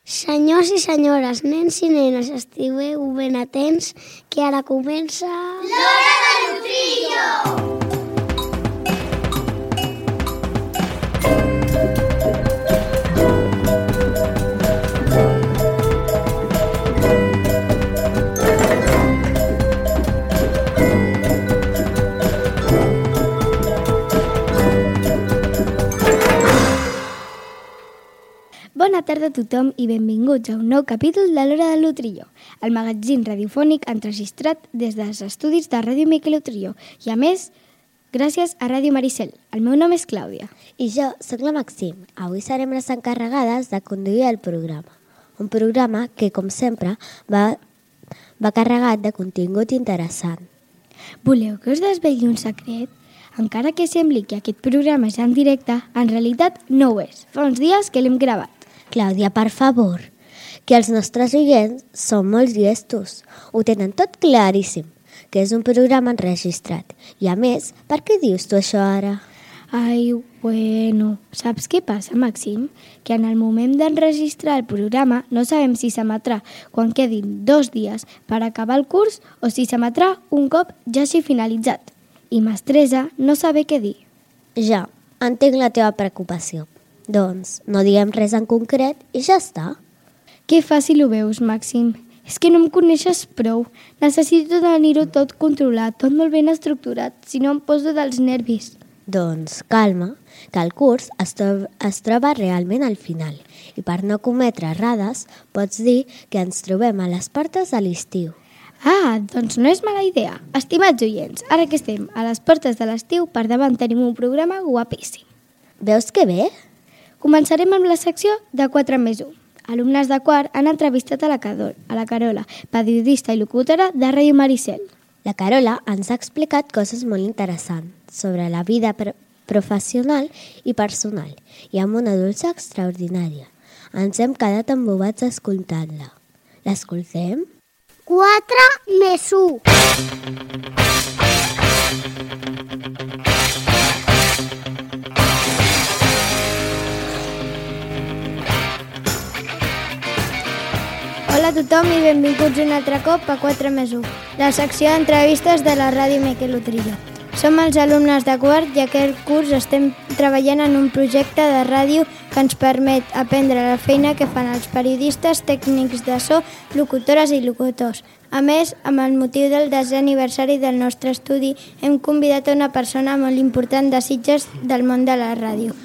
Senyors i senyores, nens i nenes, estigueu ben atents, que ara comença... L'Hora de Lutrillo! Bona tarda a tothom i benvinguts a un nou capítol de l'Hora de Lutrillo, el magazín radiofònic enregistrat des dels estudis de Ràdio Miquel Lutrillo i, a més, gràcies a Ràdio Maricel. El meu nom és Clàudia. I jo sóc la Maxim. Avui serem les encarregades de conduir el programa. Un programa que, com sempre, va carregat de contingut interessant. Voleu que us desvegui un secret? Encara que sembli que aquest programa és en directe, en realitat no ho és. Fa uns dies que l'hem gravat. Clàudia, per favor, que els nostres oients són molt llestos. Ho tenen tot claríssim, que és un programa enregistrat. I a més, per què dius tu això ara? Ai, bueno, saps què passa, Maxim? Que en el moment d'enregistrar el programa no sabem si s'emetrà quan quedin 2 dies per acabar el curs o si s'emetrà un cop ja hagi finalitzat. I m'estressa no saber què dir. Ja, entenc la teva preocupació. Doncs no diguem res en concret i ja està. Que fàcil ho veus, Màxim. És que no em coneixes prou. Necessito tenir-ho tot controlat, tot molt ben estructurat, si no em poso dels nervis. Doncs calma, que el curs es troba realment al final. I per no cometre errades, pots dir que ens trobem a les portes de l'estiu. Ah, doncs no és mala idea. Estimats oients, ara que estem a les portes de l'estiu, per davant tenim un programa guapíssim. Veus que bé? Començarem amb la secció de 4+1. Alumnes de quart han entrevistat a la Carola, periodista i locutora de Ràdio Maricel. La Carola ens ha explicat coses molt interessants sobre la vida professional i personal i amb una dolça extraordinària. Ens hem quedat embobats escoltant-la. L'escoltem? 4+1. Hola a tothom i benvinguts un altre cop a 4+1, la secció d'entrevistes de la Ràdio Miquel Lutrillo. Som els alumnes de quart i aquest curs estem treballant en un projecte de ràdio que ens permet aprendre la feina que fan els periodistes, tècnics de so, locutores i locutors. A més, amb el motiu del 10è aniversari del nostre estudi, hem convidat a una persona molt important de Sitges del món de la ràdio,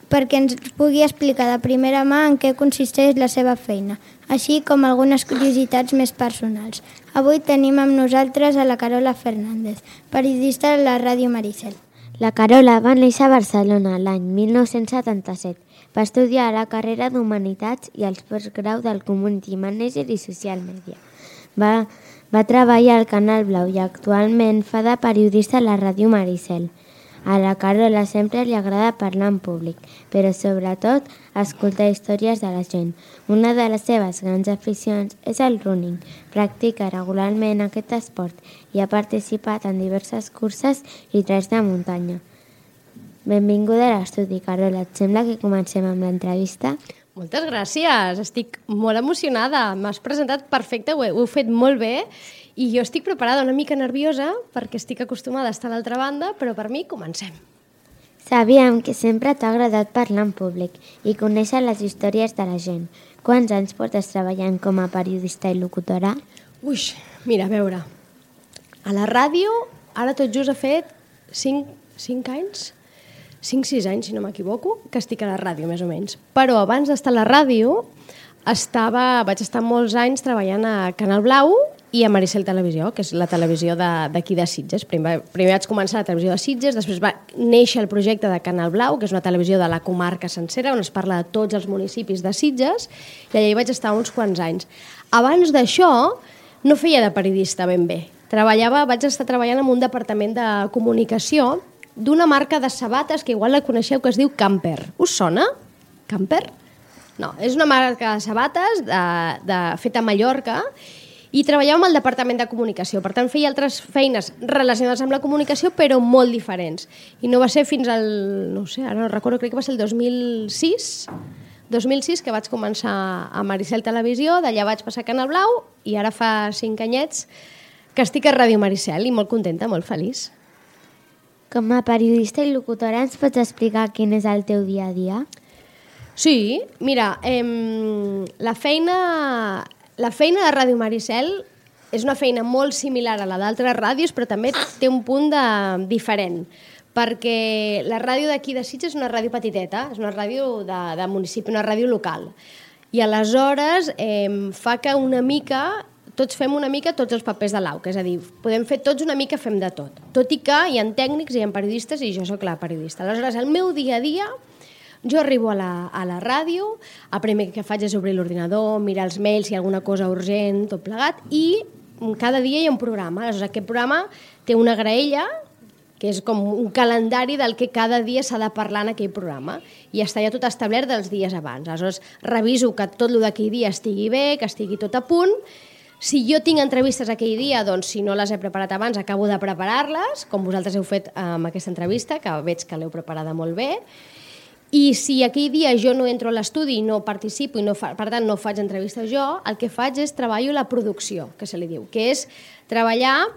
perquè ens pugui explicar de primera mà en què consisteix la seva feina, així com algunes curiositats més personals. Avui tenim amb nosaltres a la Carola Fernández, periodista de la Ràdio Maricel. La Carola va néixer a Barcelona l'any 1977. Va estudiar la carrera d'Humanitats i els postgrau del Community Manager i Social Media. Va treballar al Canal Blau i actualment fa de periodista a la Ràdio Maricel. A la Carola sempre li agrada parlar en públic, però sobretot escoltar històries de la gent. Una de les seves grans aficions és el running. Practica regularment aquest esport i ha participat en diverses curses i treks de muntanya. Benvinguda a l'estudi, Carola. Et sembla que comencem amb l'entrevista? Moltes gràcies, estic molt emocionada. M'has presentat perfecte, ho heu fet molt bé i jo estic preparada, una mica nerviosa perquè estic acostumada a estar a l'altra banda, però per mi comencem. Sabíem que sempre t'ha agradat parlar en públic i conèixer les històries de la gent. Quants anys portes treballant com a periodista i locutora? Ui, mira, a veure, a la ràdio ara tot just ha fet 5 anys, 5-6 anys, si no m'equivoco, que estic a la ràdio, més o menys. Però abans d'estar a la ràdio vaig estar molts anys treballant a Canal Blau i a Maricel Televisió, que és la televisió d'aquí de Sitges. Primer vaig començar a la televisió de Sitges, després va néixer el projecte de Canal Blau, que és una televisió de la comarca sencera, on es parla de tots els municipis de Sitges, i allà hi vaig estar uns quants anys. Abans d'això, no feia de periodista ben bé. Vaig estar treballant en un departament de comunicació d'una marca de sabates que igual la coneixeu, que es diu Camper. Us sona? Camper? No, és una marca de sabates feta a Mallorca i treballàvem al departament de comunicació. Per tant, feia altres feines relacionades amb la comunicació, però molt diferents. I no va ser fins al, no sé, ara no recordo, crec que va ser el 2006, 2006 que vaig començar a Maricel Televisió, d'allà vaig passar a Canal Blau i ara fa 5 anyets que estic a Ràdio Maricel i molt contenta, molt feliç. Com a periodista i locutora ens pots explicar quin és el teu dia a dia? Sí, mira, la feina de Ràdio Maricel és una feina molt similar a la d'altres ràdios, però també té un punt diferent, perquè la ràdio d'aquí de Sitges és una ràdio petiteta, és una ràdio de municipi, una ràdio local. I aleshores fa que una mica, tots fem una mica tots els papers de l'AUC, és a dir, podem fer tots una mica, fem de tot. Tot i que hi ha tècnics, hi ha periodistes i jo sóc la periodista. Aleshores, el meu dia a dia, jo arribo a la ràdio, el primer que faig és obrir l'ordinador, mirar els mails, si hi ha alguna cosa urgent, tot plegat, i cada dia hi ha un programa. Aleshores, aquest programa té una graella, que és com un calendari del que cada dia s'ha de parlar en aquell programa, i està ja tot establert dels dies abans. Aleshores, reviso que tot el d'aquell dia estigui bé, que estigui tot a punt. Si jo tinc entrevistes aquell dia, doncs si no les he preparat abans, acabo de preparar-les, com vosaltres heu fet amb aquesta entrevista, que veig que l'heu preparada molt bé. I si aquell dia jo no entro a l'estudi i no participo i per tant no faig entrevistes jo, el que faig és treballo la producció, que se li diu, que és treballar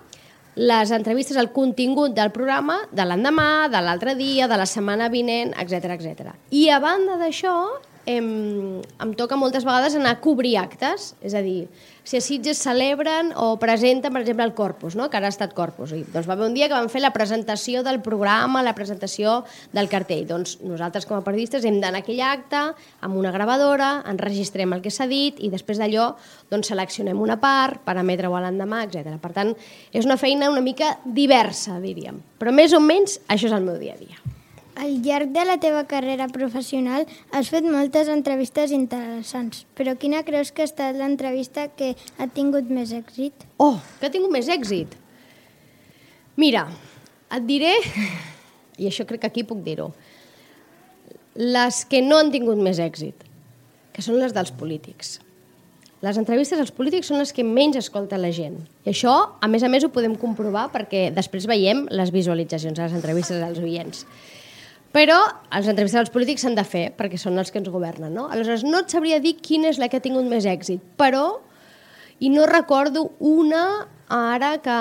les entrevistes, el contingut del programa de l'endemà, de l'altre dia, de la setmana vinent, etc etc. I a banda d'això, em toca moltes vegades anar a cobrir actes, és a dir, si a Sitges celebren o presenten, per exemple, el Corpus, no? Que ara ha estat Corpus. Doncs va haver un dia que van fer la presentació del programa, la presentació del cartell. Doncs nosaltres com a periodistes hem d'anar a aquell acte amb una gravadora, enregistrem el que s'ha dit i després d'allò doncs, seleccionem una part per emetre-ho a l'endemà, etc. Per tant, és una feina una mica diversa, diríem. Però més o menys això és el meu dia a dia. Al llarg de la teva carrera professional has fet moltes entrevistes interessants, però quina creus que ha estat l'entrevista que ha tingut més èxit? Oh, que ha tingut més èxit? Mira, et diré, i això crec que aquí puc dir-ho, les que no han tingut més èxit, que són les dels polítics. Les entrevistes als polítics són les que menys escolta la gent. I això, a més, ho podem comprovar perquè després veiem les visualitzacions a les entrevistes dels oients. Però les entrevistes als polítics s'han de fer perquè són els que ens governen, no? Aleshores, no et sabria dir quina és la que ha tingut més èxit, però, i no recordo una ara que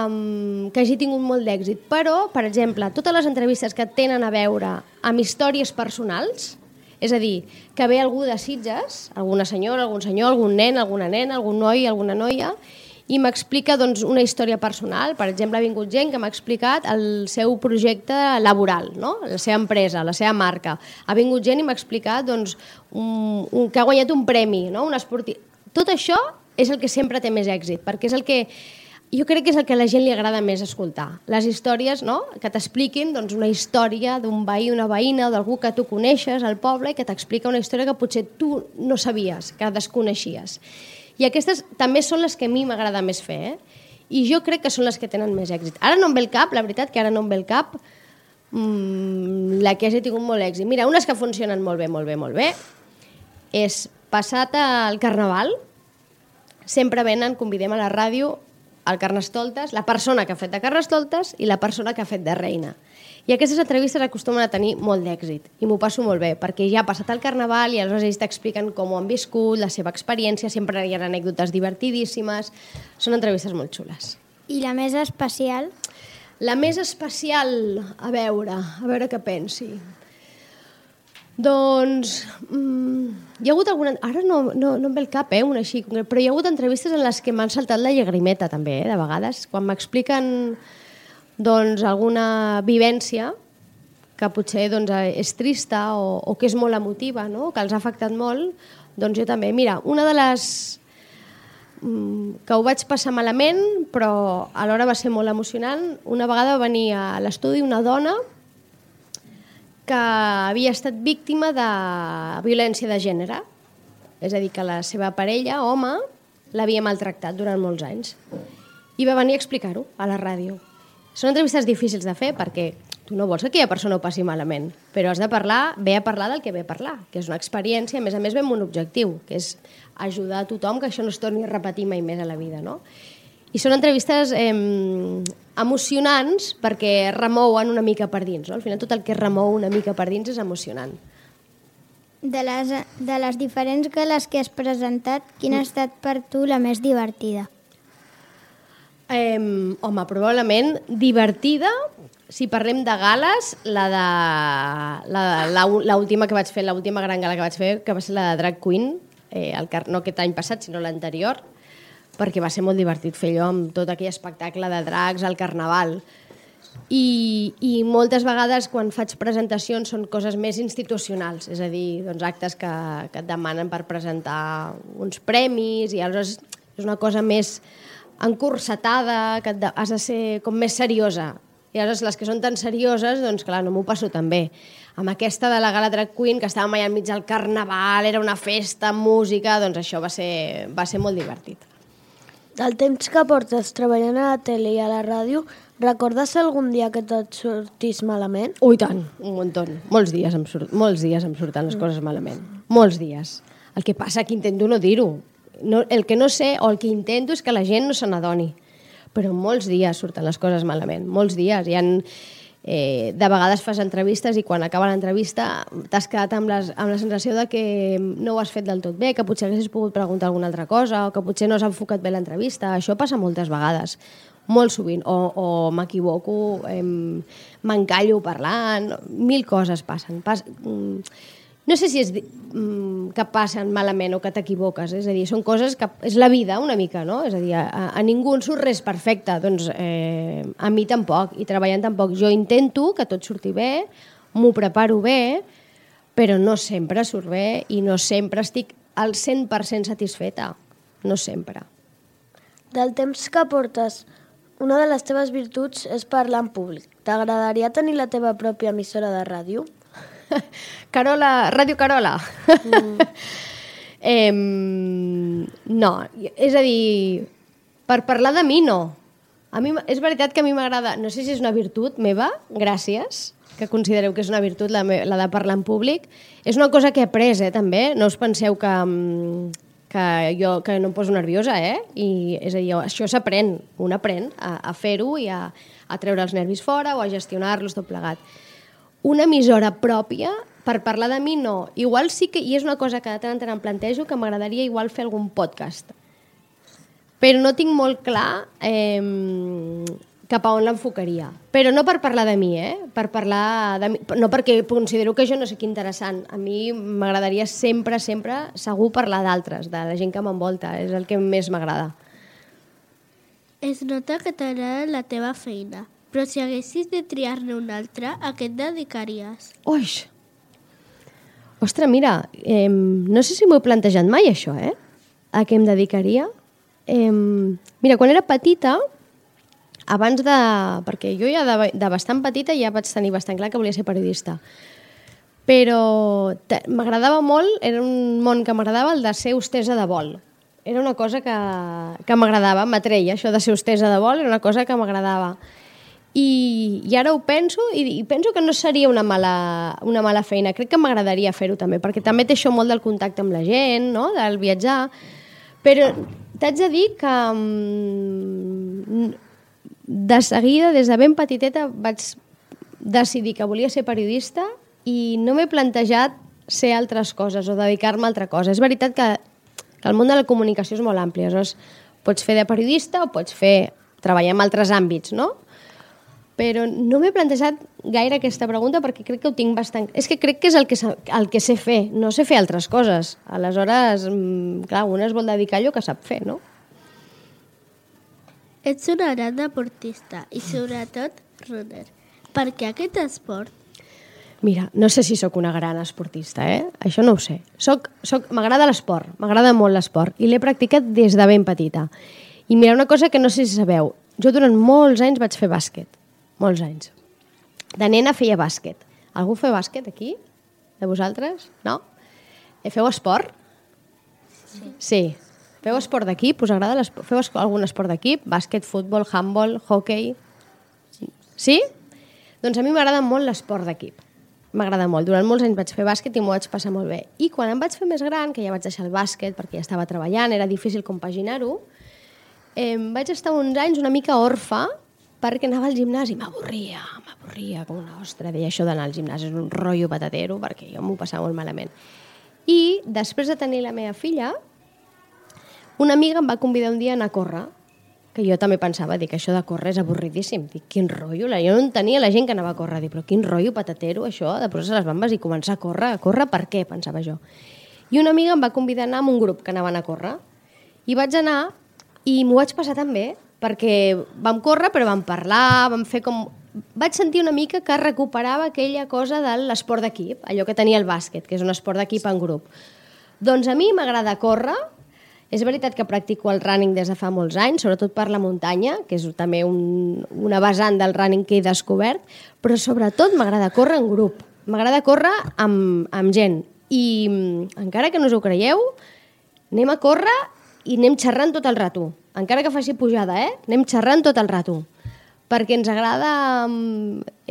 hagi tingut molt d'èxit, però, per exemple, totes les entrevistes que tenen a veure amb històries personals, és a dir, que ve algú de Sitges, alguna senyora, algun senyor, algun nen, alguna nena, algun noi, alguna noia, i m'explica doncs, una història personal. Per exemple, ha vingut gent que m'ha explicat el seu projecte laboral, no? La seva empresa, la seva marca. Ha vingut gent i m'ha explicat doncs, que ha guanyat un premi, no? Un esportiu. Tot això és el que sempre té més èxit, perquè és el que jo crec que és el que a la gent li agrada més escoltar. Les històries, no? Que t'expliquin doncs, una història d'un veí, una veïna o d'algú que tu coneixes al poble i que t'explica una història que potser tu no sabies, que desconeixies. I aquestes també són les que a mi m'agrada més fer, I jo crec que són les que tenen més èxit. Ara no em ve el cap, la veritat que ara no em ve el cap la que hagi tingut molt èxit. Mira, unes que funcionen molt bé, és passat el Carnaval, sempre venen, convidem a la ràdio al Carnestoltes, la persona que ha fet de Carnestoltes i la persona que ha fet de reina. I aquestes entrevistes acostumen a tenir molt d'èxit i m'ho passo molt bé, perquè ja ha passat el Carnaval i aleshores ells t'expliquen com ho han viscut, la seva experiència, sempre hi ha anècdotes divertidíssimes, són entrevistes molt xules. I la més especial? La més especial, a veure què pensi. Doncs hi ha hagut alguna... Ara no em ve el cap, una així, però hi ha hagut entrevistes en les que m'han saltat la llagrimeta també, de vegades, quan m'expliquen doncs, alguna vivència que potser doncs, és trista o que és molt emotiva, no? Que els ha afectat molt, doncs jo també. Mira, una de les que ho vaig passar malament, però alhora va ser molt emocionant, una vegada va venir a l'estudi una dona que havia estat víctima de violència de gènere, és a dir, que la seva parella, home, l'havia maltractat durant molts anys. I va venir a explicar-ho a la ràdio. Són entrevistes difícils de fer perquè tu no vols que aquella persona ho passi malament, però has de parlar, ve a parlar del que ve a parlar, que és una experiència, a més ve amb un objectiu, que és ajudar a tothom que això no es torni a repetir mai més a la vida, no? I són entrevistes emocionants perquè remouen una mica per dins, no? Al final tot el que remou una mica per dins és emocionant. de les diferents gales que has presentat, quina ha estat per tu la més divertida? Home, probablement divertida, si parlem de gales, l'última que vaig fer, l'última gran gala que vaig fer, que va ser la de Drag Queen, no aquest any passat, sinó l'anterior, perquè va ser molt divertit fer allò amb tot aquell espectacle de drags al Carnaval. I moltes vegades quan faig presentacions són coses més institucionals, és a dir, doncs actes que et demanen per presentar uns premis i aleshores és una cosa més encursetada, que has de ser com més seriosa. I aleshores les que són tan serioses, doncs clar, no m'ho passo tan bé. Amb aquesta de la Gala Drag Queen, que estàvem allà enmig del Carnaval, era una festa, música, doncs això va ser molt divertit. Del temps que portes treballant a la tele i a la ràdio, recordes algun dia que tot sortís malament? Ui, tant, un muntó. Molts dies em surten les coses malament. Molts dies. El que passa que intento no dir-ho. El que no sé o el que intento és que la gent no se n'adoni. Però molts dies surten les coses malament. Molts dies. De vegades fas entrevistes i quan acaba l'entrevista t'has quedat amb la sensació de que no ho has fet del tot bé, que potser haguessis pogut preguntar alguna altra cosa o que potser no has enfocat bé l'entrevista. Això passa moltes vegades, molt sovint. O m'equivoco, m'encallo parlant, mil coses passen. No sé si és que passen malament o que t'equivoques, és a dir, són coses que és la vida una mica, no? És a dir, a ningú en surt res perfecte, doncs a mi tampoc, i treballant tampoc. Jo intento que tot surti bé, m'ho preparo bé, però no sempre surt bé i no sempre estic al 100% satisfeta, no sempre. Del temps que portes, una de les teves virtuts és parlar en públic. T'agradaria tenir la teva pròpia emissora de ràdio? Carola, Ràdio Carola. No, és a dir, per parlar de mi no. A mi, és veritat que a mi m'agrada, no sé si és una virtut meva, gràcies, que considereu que és una virtut la de parlar en públic. És una cosa que he après, també. No us penseu que no em poso nerviosa, I, és a dir, això s'aprèn, un aprèn a fer-ho i a treure els nervis fora o a gestionar-los tot plegat. Una emissora pròpia, per parlar de mi, no. Igual sí que, i és una cosa que de tant en tant em plantejo, que m'agradaria igual fer algun podcast. Però no tinc molt clar cap a on l'enfocaria. Però no per parlar de mi, Per parlar de mi, no perquè considero que jo no sé què interessant. A mi m'agradaria sempre, segur parlar d'altres, de la gent que m'envolta. És el que més m'agrada. Es nota que t'agrada la teva feina. Però si haguessis de triar-ne una altra, a què et dedicaries? Oix! Ostres, mira, no sé si m'ho he plantejat mai, això, A què em dedicaria? Mira, quan era petita, abans de... Perquè jo ja de bastant petita ja vaig tenir bastant clar que volia ser periodista. Però m'agradava molt, era un món que m'agradava, el de ser hostessa de vol. Era una cosa que m'agradava, m'atreia, això de ser hostessa de vol, era una cosa que m'agradava. I ara ho penso i penso que no seria una mala feina. Crec que m'agradaria fer-ho també, perquè també té això molt del contacte amb la gent, no? Del viatjar. Però t'haig de dir que de seguida, des de ben petiteta, vaig decidir que volia ser periodista i no m'he plantejat ser altres coses o dedicar-me a altra cosa. És veritat que el món de la comunicació és molt ampli. Aleshores, pots fer de periodista o pots treballar en altres àmbits, no? Però no m'he plantejat gaire aquesta pregunta perquè crec que ho tinc bastant... És que crec que és el que sé fer, no sé fer altres coses. Aleshores, clar, una es vol dedicar a allò que sap fer, no? Ets una gran deportista i sobretot runner. Per què aquest esport? Mira, no sé si sóc una gran esportista, Això no ho sé. M'agrada l'esport, m'agrada molt l'esport i l'he practicat des de ben petita. I mira, una cosa que no sé si sabeu, jo durant molts anys vaig fer bàsquet. Molts anys. De nena feia bàsquet. Algú fa bàsquet aquí? De vosaltres? No? Feu esport? Sí. Feu esport d'equip? Us agrada l'esport? Feu algun esport d'equip? Bàsquet, futbol, handball, hockey? Sí? Doncs a mi m'agrada molt l'esport d'equip. M'agrada molt. Durant molts anys vaig fer bàsquet i m'ho vaig passar molt bé. I quan em vaig fer més gran, que ja vaig deixar el bàsquet perquè ja estava treballant, era difícil compaginar-ho, vaig estar uns anys una mica orfa perquè anava al gimnàs i m'avorria com una ostra. Deia això d'anar al gimnàs és un rotllo patatero perquè jo m'ho passava molt malament. I després de tenir la meva filla, una amiga em va convidar un dia a anar a córrer, que jo també pensava, dic, això de córrer és avorridíssim. Dic, quin rotllo, jo no entenia la gent que anava a córrer. Dic, però quin rotllo patatero, això, de posar-se les bambes i començar a córrer. A córrer per què, pensava jo. I una amiga em va convidar a anar amb un grup que anaven a córrer. I vaig anar i m'ho vaig passar tan bé, perquè vam córrer però vam parlar, vam fer com... Vaig sentir una mica que recuperava aquella cosa de l'esport d'equip, allò que tenia el bàsquet, que és un esport d'equip en grup. Doncs a mi m'agrada córrer, és veritat que practico el running des de fa molts anys, sobretot per la muntanya, que és també una vessant del running que he descobert, però sobretot m'agrada córrer en grup, m'agrada córrer amb gent. I encara que no us ho creieu, anem a córrer i anem xerrant tot el rato. Encara que faci pujada, anem xerrant tot el rato. Perquè ens agrada,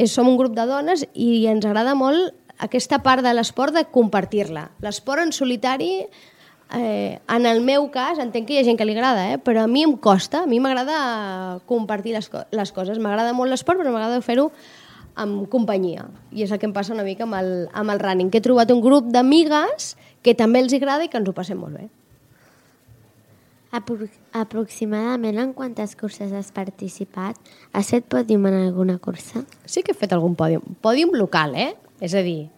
som un grup de dones i ens agrada molt aquesta part de l'esport de compartir-la. L'esport en solitari, en el meu cas, entenc que hi ha gent que li agrada, però a mi em costa, a mi m'agrada compartir les coses. M'agrada molt l'esport, però m'agrada fer-ho amb companyia. I és el que em passa una mica amb el running, que he trobat un grup d'amigues que també els agrada i que ens ho passem molt bé. Aproximadament en quantes curses has participat? Has fet pòdium en alguna cursa? Sí que he fet algun pòdium. Pòdium local, És a dir,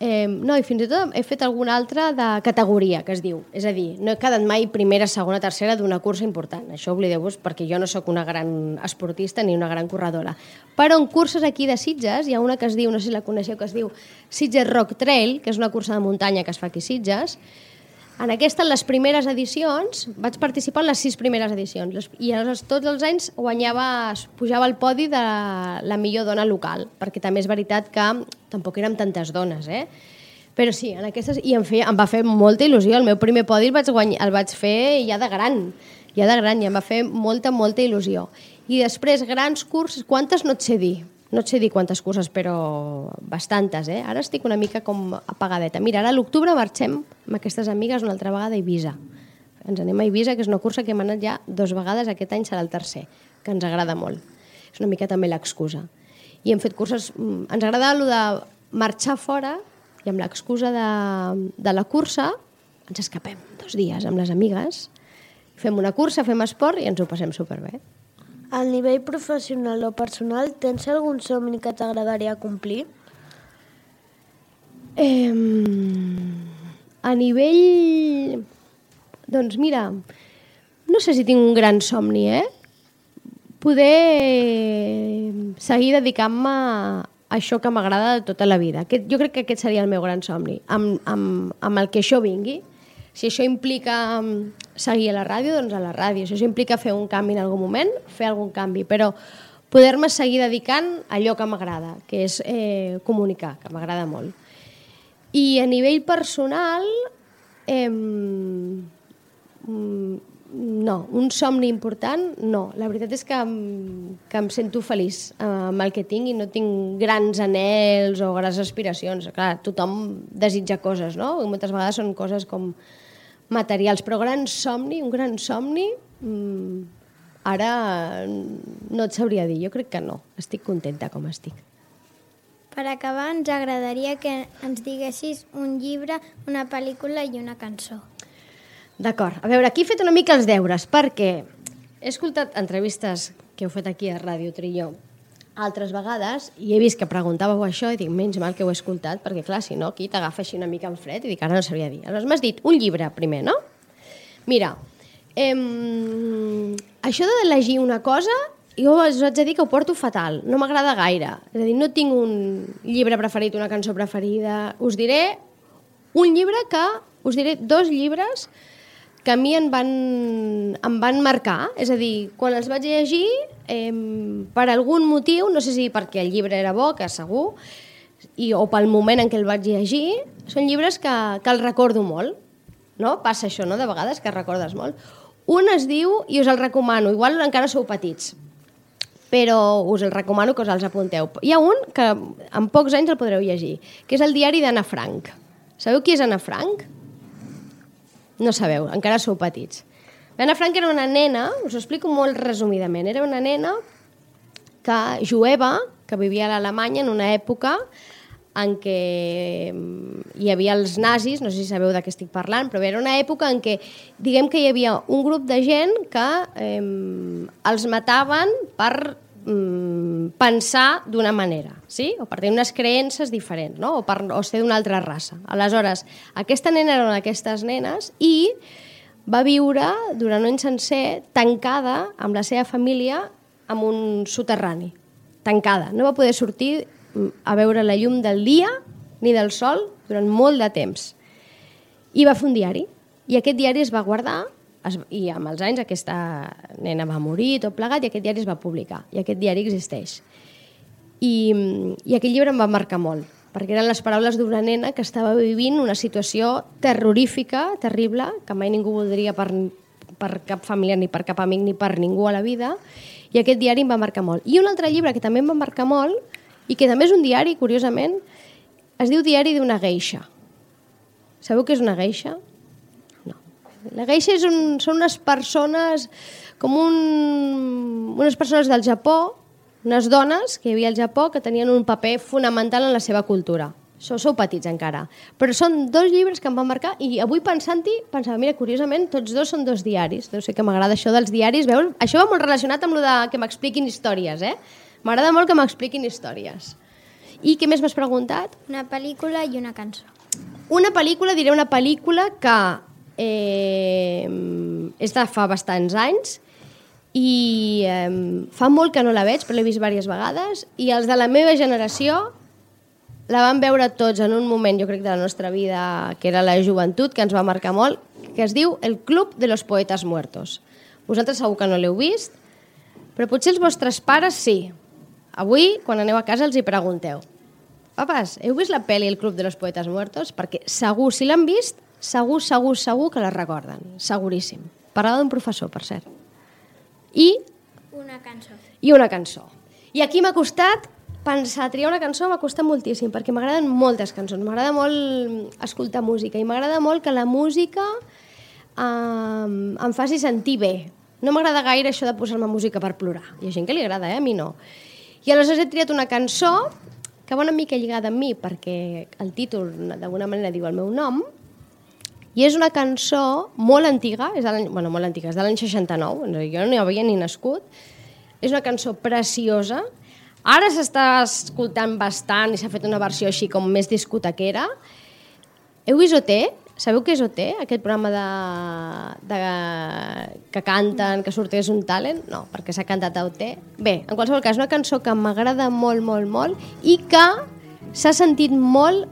no, i fins i tot he fet alguna altra de categoria, que es diu. És a dir, no he quedat mai primera, segona, tercera d'una cursa important. Això oblideu-vos perquè jo no sóc una gran esportista ni una gran corredora. Però en curses aquí de Sitges hi ha una que es diu, no sé si la coneixeu, que es diu Sitges Rock Trail, que és una cursa de muntanya que es fa aquí a Sitges. En aquesta, en les primeres edicions, vaig participar en les 6 primeres edicions i tots els anys pujava al podi de la millor dona local, perquè també és veritat que tampoc érem tantes dones, Però sí, en aquestes, i em va fer molta il·lusió. El meu primer podi el vaig fer ja de gran, i em va fer molta, molta il·lusió. I després, grans curses, quantes no et sé dir? No et sé dir quantes curses, però bastantes, Ara estic una mica com apagadeta. Mira, ara a l'octubre marxem amb aquestes amigues una altra vegada a Eivissa. Ens anem a Eivissa, que és una cursa que hem anat ja 2 vegades, aquest any serà el tercer, que ens agrada molt. És una mica també l'excusa. I hem fet curses... Ens agrada allò de marxar fora i amb l'excusa de la cursa ens escapem 2 dies amb les amigues, fem una cursa, fem esport i ens ho passem superbé. Al nivell professional o personal, tens algun somni que t'agradaria complir? A nivell... Doncs mira, no sé si tinc un gran somni, Poder seguir dedicant-me a això que m'agrada de tota la vida. Jo crec que aquest seria el meu gran somni, amb el que això vingui. Si això implica seguir a la ràdio, doncs a la ràdio. Si això implica fer un canvi en algun moment, fer algun canvi. Però poder-me seguir dedicant a allò que m'agrada, que és comunicar, que m'agrada molt. I a nivell personal, no, un somni important, no. La veritat és que em sento feliç amb el que tinc i no tinc grans anhels o grans aspiracions. Clar, tothom desitja coses, no? I moltes vegades són coses com materials, però un gran somni, ara no et sabria dir, jo crec que no, estic contenta com estic. Per acabar, ens agradaria que ens diguessis un llibre, una pel·lícula i una cançó. D'acord, a veure, aquí he fet una mica els deures, perquè he escoltat entrevistes que heu fet aquí a Ràdio Trillo altres vegades i he vist que preguntàveu això i dic, menys mal que ho he escoltat, perquè clar, si no, aquí t'agafa així una mica en fred i dic, ara no sabria dir. Aleshores m'has dit un llibre primer, no? Mira, això d'elegir una cosa, jo us haig de dir que ho porto fatal, no m'agrada gaire. És a dir, no tinc un llibre preferit, una cançó preferida. Us diré us diré 2 llibres que a mi em van marcar, és a dir, quan els vaig llegir, per algun motiu, no sé si perquè el llibre era bo, que segur, o pel moment en què el vaig llegir, són llibres que els recordo molt, no? Passa això, no?, de vegades, que recordes molt. Un es diu, i us el recomano, igual encara sou petits, però us el recomano que us els apunteu. Hi ha un que en pocs anys el podreu llegir, que és el diari d'Anna Frank. Sabeu qui és Anna Frank? No sabeu, encara sou petits. L'Anna Frank era una nena, us ho explico molt resumidament, era una nena jueva que vivia a l'Alemanya en una època en què hi havia els nazis, no sé si sabeu de què estic parlant, però era una època en què, diguem que hi havia un grup de gent que els mataven per pensar d'una manera, sí? O per tenir unes creences diferents, no? o ser d'una altra raça. Aleshores, aquesta nena era una d'aquestes nenes i va viure durant un any sencer tancada amb la seva família en un soterrani. Tancada. No va poder sortir a veure la llum del dia ni del sol durant molt de temps. I va fer un diari. I aquest diari es va guardar i amb els anys aquesta nena va morir, tot plegat, i aquest diari es va publicar. I aquest diari existeix. I aquell llibre em va marcar molt, perquè eren les paraules d'una nena que estava vivint una situació terrorífica, terrible, que mai ningú voldria per cap família, ni per cap amic, ni per ningú a la vida, i aquest diari em va marcar molt. I un altre llibre que també em va marcar molt, i que també és un diari, curiosament, es diu Diari d'una geisha. Sabeu què és una geisha? No. La geisha són unes persones, unes persones del Japó, unes dones que hi havia al Japó que tenien un paper fonamental en la seva cultura. Sou petits encara. Però són dos llibres que em van marcar i avui pensant-hi, pensava, mira, curiosament, tots dos són dos diaris. Deu ser que m'agrada això dels diaris. Veus? Això va molt relacionat amb el que m'expliquin històries, eh? M'agrada molt que m'expliquin històries. I què més m'has preguntat? Una pel·lícula i una cançó. Una pel·lícula, diré una pel·lícula que és de fa bastants anys i fa molt que no la veig, però l'he vist diverses vegades, i els de la meva generació la van veure tots en un moment, jo crec, de la nostra vida, que era la joventut, que ens va marcar molt, que es diu El Club de los Poetas Muertos. Vosaltres segur que no l'heu vist, però potser els vostres pares sí. Avui, quan aneu a casa, els hi pregunteu: papes, heu vist la pel·li El Club de los Poetas Muertos? Perquè segur, si l'han vist, segur que la recorden. Seguríssim. Parlava d'un professor, per cert. I una cançó. I aquí m'ha costat pensar, triar una cançó m'ha costat moltíssim, perquè m'agraden moltes cançons, m'agrada molt escoltar música i m'agrada molt que la música em faci sentir bé. No m'agrada gaire això de posar-me música per plorar. Hi ha gent que li agrada, a mi no. I aleshores he triat una cançó que va una mica lligada amb mi, perquè el títol d'alguna manera diu el meu nom, i és una cançó molt antiga, és de l'any 69, jo no hi havia ni nascut. És una cançó preciosa. Ara s'està escoltant bastant i s'ha fet una versió així com més discotequera. Heu vist OT? Sabeu què és OT? Aquest programa que canten, que surt És un talent? No, perquè s'ha cantat a OT. Bé, en qualsevol cas, una cançó que m'agrada molt, molt, molt i que s'ha sentit molt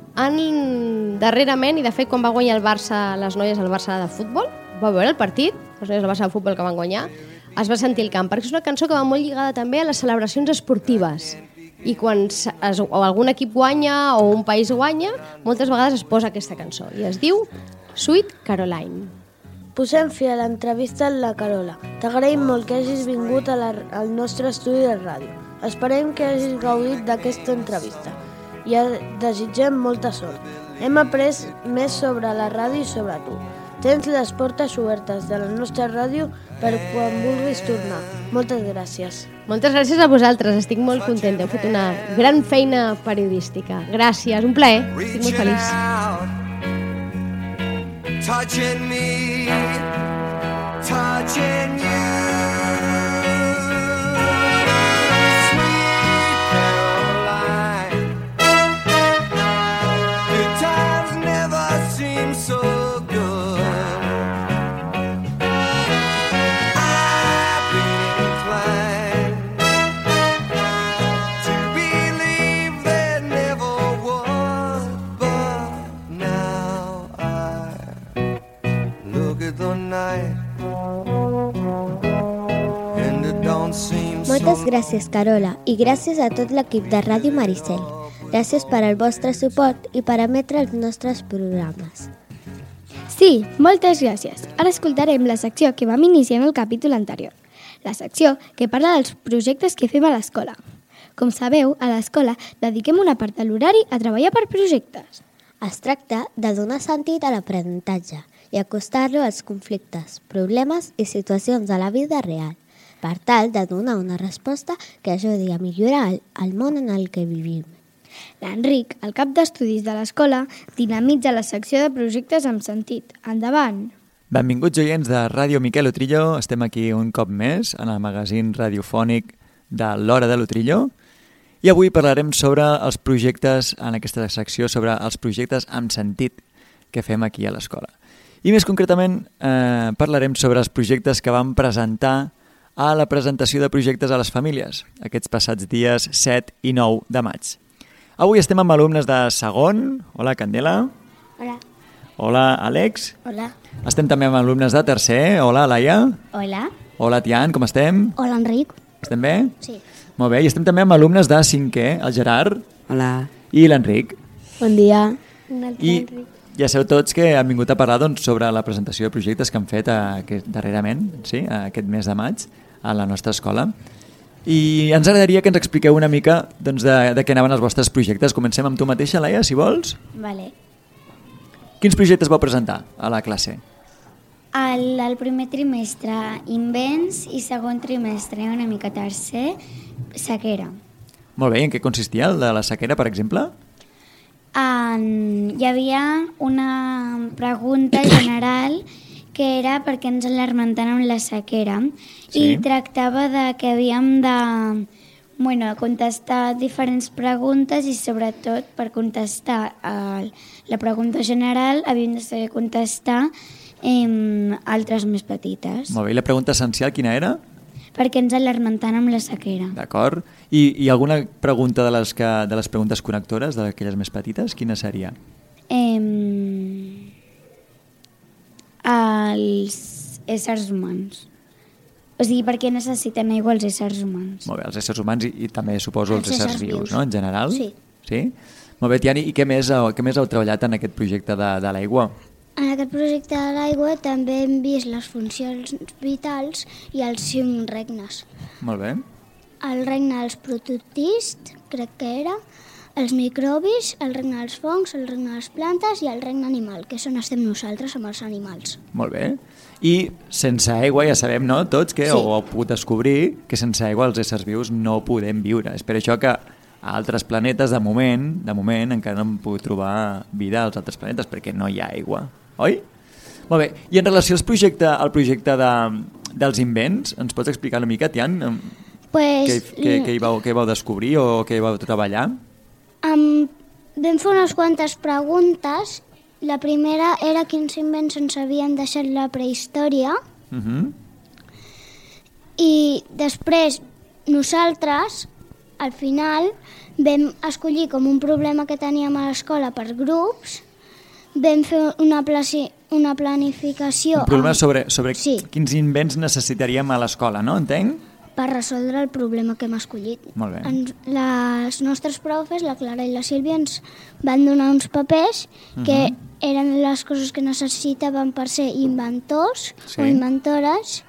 darrerament, i de fet quan va guanyar el Barça, les noies del Barça de futbol, va veure el partit, les noies del Barça de futbol que van guanyar, es va sentir el camp, perquè és una cançó que va molt lligada també a les celebracions esportives. I quan algun equip guanya o un país guanya, moltes vegades es posa aquesta cançó, i es diu Sweet Caroline. Posem fi a l'entrevista amb la Carola. T'agraïm molt que hagis vingut al nostre estudi de ràdio. Esperem que hagis gaudit d'aquesta entrevista i desitgem molta sort. Hem après més sobre la ràdio i sobre tu. Tens les portes obertes de la nostra ràdio per quan vulguis tornar. Moltes gràcies. Moltes gràcies a vosaltres, estic molt contenta. Heu fet una gran feina periodística. Gràcies, un plaer, estic molt feliç. Touching me, touching you. Moltes gràcies, Carola, i gràcies a tot l'equip de Ràdio Maricel. Gràcies per al vostre suport i per emetre els nostres programes. Sí, moltes gràcies. Ara escoltarem la secció que vam iniciar en el capítol anterior. La secció que parla dels projectes que fem a l'escola. Com sabeu, a l'escola dediquem una part de l'horari a treballar per projectes. Es tracta de donar sentit a l'aprenentatge i acostar-lo als conflictes, problemes i situacions de la vida real, per tal de donar una resposta que ajudi a millorar el món en el que vivim. L'Enric, el cap d'estudis de l'escola, dinamitza la secció de projectes amb sentit. Endavant! Benvinguts oients de Ràdio Miquel Utrillo. Estem aquí un cop més en el magazín radiofònic de l'Hora de l'Utrillo i avui parlarem sobre els projectes, en aquesta secció, sobre els projectes amb sentit que fem aquí a l'escola. I més concretament parlarem sobre els projectes que vam presentar a la presentació de projectes a les famílies, aquests passats dies 7 i 9 de maig. Avui estem amb alumnes de segon. Hola, Candela. Hola. Hola, Àlex. Hola. Estem també amb alumnes de tercer. Hola, Laia. Hola. Hola, Tian, com estem? Hola, Enric. Estem bé? Sí. Molt bé, i estem també amb alumnes de cinquè, el Gerard. Hola. I l'Enric. Bon dia. I ja sabeu tots que han vingut a parlar sobre la presentació de projectes que han fet darrerament, sí, aquest mes de maig, a la nostra escola. I ens agradaria que ens expliqueu una mica de què anaven els vostres projectes. Comencem amb tu mateixa, Laia, si vols. Vale. Quins projectes vau presentar a la classe? El primer trimestre, invents, i segon trimestre, una mica tercer, sequera. Molt bé, i en què consistia el de la sequera, per exemple? Hi havia una pregunta general que era per què ens alarmentàvem la sequera, Sí. i tractava de que havíem de contestar diferents preguntes i sobretot per contestar la pregunta general havíem de saber contestar altres més petites. Molt bé, i la pregunta essencial quina era? Per què ens alarmentàvem la sequera. D'acord. I alguna pregunta de les preguntes connectores, d'aquelles més petites, quina seria? Els éssers humans. O sigui, per què necessiten aigua els éssers humans? Molt bé, els éssers humans i també suposo els Els éssers éssers vius, vius. no?, en general? Sí. Sí? Molt bé, Tiani, i què més heu treballat en aquest projecte de l'aigua? En aquest projecte de l'aigua també hem vist les funcions vitals i els 5 regnes. Molt bé. El regne dels prototists, crec que era, els microbis, el regne dels fongs, el regne de les plantes i el regne animal, que és on estem nosaltres amb els animals. Molt bé. I sense aigua ja sabem, no?, tots, que Sí. ho heu pogut descobrir, que sense aigua els éssers vius no podem viure. És per això que a altres planetes, de moment, encara no hem pogut trobar vida als altres planetes, perquè no hi ha aigua. Oi? Molt bé. I en relació al projecte dels invents, ens pots explicar una mica, Tian, Pues, què hi vau descobrir o què hi vau treballar? vam fer unes quantes preguntes. La primera era quins invents ens havien deixat la prehistòria i després nosaltres, al final, vam escollir com un problema que teníem a l'escola per grups, vam fer una planificació Un problema sobre Sí. quins invents necessitaríem a l'escola, no? Entenc? per resoldre el problema que hem escollit. Molt bé. Les nostres profes, la Clara i la Sílvia, ens van donar uns papers que eren les coses que necessitaven per ser inventors Sí. o inventores,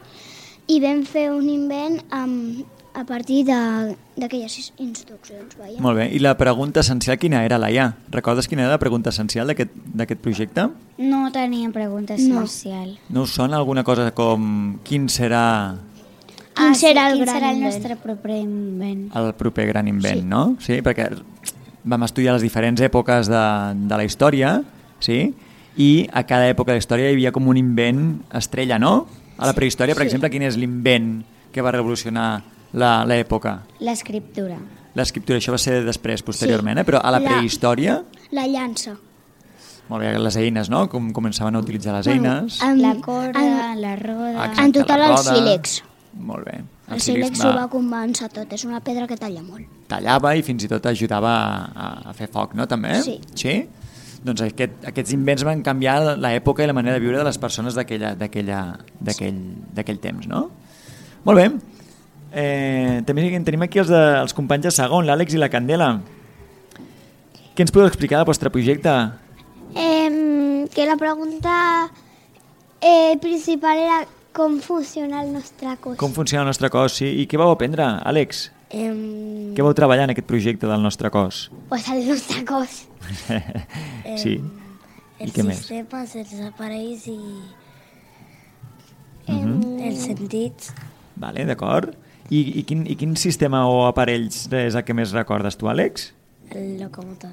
i vam fer un invent a partir d'aquelles instruccions. Veia. Molt bé. I la pregunta essencial quina era, Laia? Recordes quina era la pregunta essencial d'aquest projecte? No tenia pregunta No. especial. No us sona alguna cosa com quin serà Quin serà el quin gran serà el invent? nostre proper invent? el proper gran invent, no? Sí, perquè vam estudiar les diferents èpoques de la història, sí? I a cada època de la història hi havia com un invent estrella, no? A la prehistòria, per exemple, quin és l'invent que va revolucionar l'època? L'escriptura. L'escriptura, això va ser després, posteriorment, però a la prehistòria, La llança. molt bé, les eines, no? Com començaven a utilitzar les eines. La corda, la roda... Exacte, En total la el roda. sílex. Molt bé. El sílex ho va començar tot, és una pedra que talla molt. Tallava i fins i tot ajudava a fer foc, no? També? Sí. Sí? Doncs aquests invents van canviar l'època i la manera de viure de les persones d'aquell temps, no? Molt bé. També tenim aquí els companys de segon, l'Àlex i la Candela. Què ens podeu explicar del vostre projecte? Que la pregunta principal era com funciona el nostre cos. Com funciona el nostre cos, sí? I què vau aprendre, Àlex? Què vau treballar en aquest projecte del nostre cos? Pues el nostre cos. Sí. I què més? sistemes, els aparells i els sentits. Vale, d'acord. I quin sistema o aparells és el que més recordes tu, Àlex? El locomotor.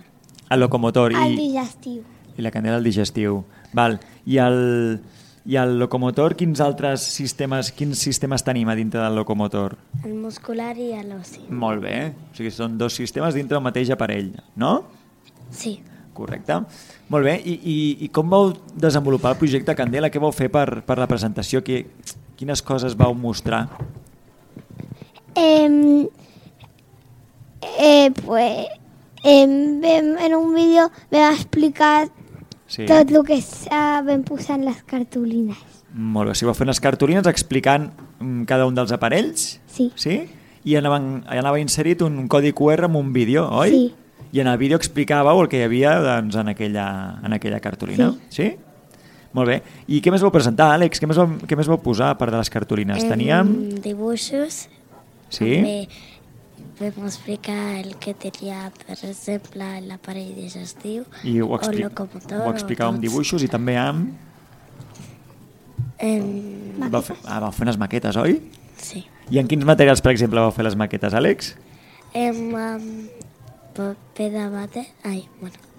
El locomotor El digestiu. i la candela al digestiu. Val. I el locomotor, quins sistemes tenim a dintre del locomotor? El muscular i l'ossi. Molt bé. O sigui, són dos sistemes dintre del mateix aparell, no? Sí. Correcte. Molt bé. I com vau desenvolupar el projecte Candela? Què vau fer per la presentació? Quines coses vau mostrar? En un vídeo vam explicar tot el que vam posar en les cartolines. Molt bé. Si vau fer unes cartolines explicant cada un dels aparells? Sí. Sí? I anava inserit un codi QR amb un vídeo, oi? Sí. I en el vídeo explicàveu el que hi havia doncs, en aquella cartolina. Sí? Molt bé. I què més vau presentar, Àlex? Què més vau posar a part de les cartolines? Teníem... Dibuixos. Sí? També vam explicar el que tenia, per exemple, l'aparell digestiu I ho locomotor. Ho explicàveu amb dibuixos i també amb... Vau fer unes maquetes, oi? Sí. I en quins materials, per exemple, vau fer les maquetes, Àlex? Paper de vàter.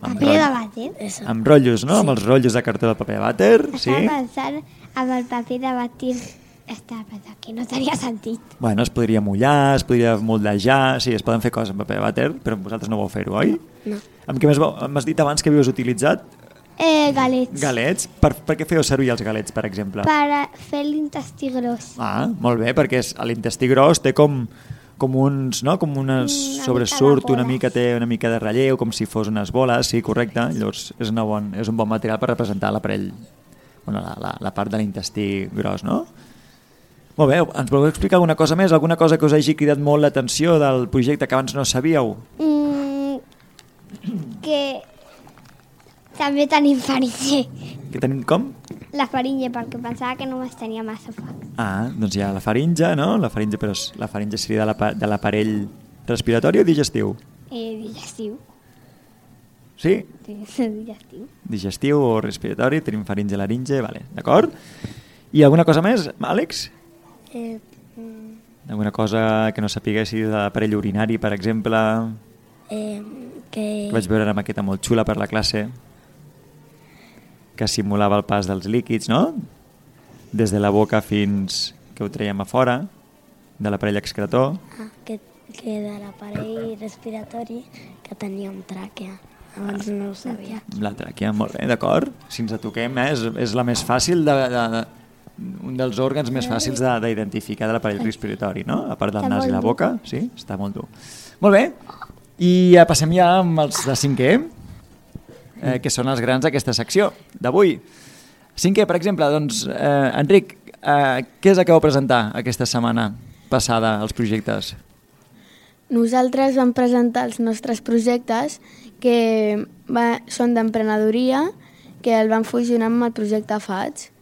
Paper de vàter? Amb rotllos, no? Sí. Amb els rotllos de cartó de paper de vàter, sí? Estava pensant amb el paper de vàter. Estava pensant que no tenia sentit. Bueno, es podria mullar, es podria moldejar, sí, es poden fer coses amb paper de vàter, però vosaltres no vau fer-ho, oi? No. Amb què més m'has dit abans que havíeu utilitzat? Galets. Galets? Per què fèieu servir els galets, per exemple? Per fer l'intestí gros. Ah, molt bé, perquè l'intestí gros té com uns, no? Com unes sobresurt, mica de té una mica de relleu, com si fos unes boles, sí, correcte. Llavors és un bon material per representar l'aparell, bueno, la part de l'intestí gros, no? Molt bé, ens voleu explicar alguna cosa més? Alguna cosa que us hagi cridat molt l'atenció del projecte que abans no sabíeu? Que també tenim faringe. Que tenim com? La faringe, perquè pensava que només tenia massa foc. Ah, doncs hi ha la faringe, no? La faringe, però la faringe seria de l'aparell respiratori o digestiu? Digestiu. Sí? Digestiu. Digestiu o respiratori, tenim faringe, laringe, vale, d'acord? I alguna cosa més, Àlex? Alguna cosa que no sapiguessis de l'aparell urinari, per exemple? Que vaig veure una maqueta molt xula per la classe que simulava el pas dels líquids, no? Des de la boca fins que ho traiem a fora, de l'aparell excretor. Que de l'aparell respiratori que tenia un tràquea. Abans no ho sabia. La tràquea, molt bé, d'acord. Si ens toquem, és la més fàcil un dels òrgans més fàcils d'identificar de l'aparell respiratori, no? A part del nas i la boca, sí? Està molt dur. Molt bé, i passem ja amb els de 5è, que són els grans d'aquesta secció d'avui. 5è, per exemple, doncs, Enric, què és el que vau presentar aquesta setmana passada, els projectes? Nosaltres vam presentar els nostres projectes que són d'emprenedoria, que el vam fusionar amb el projecte FATS.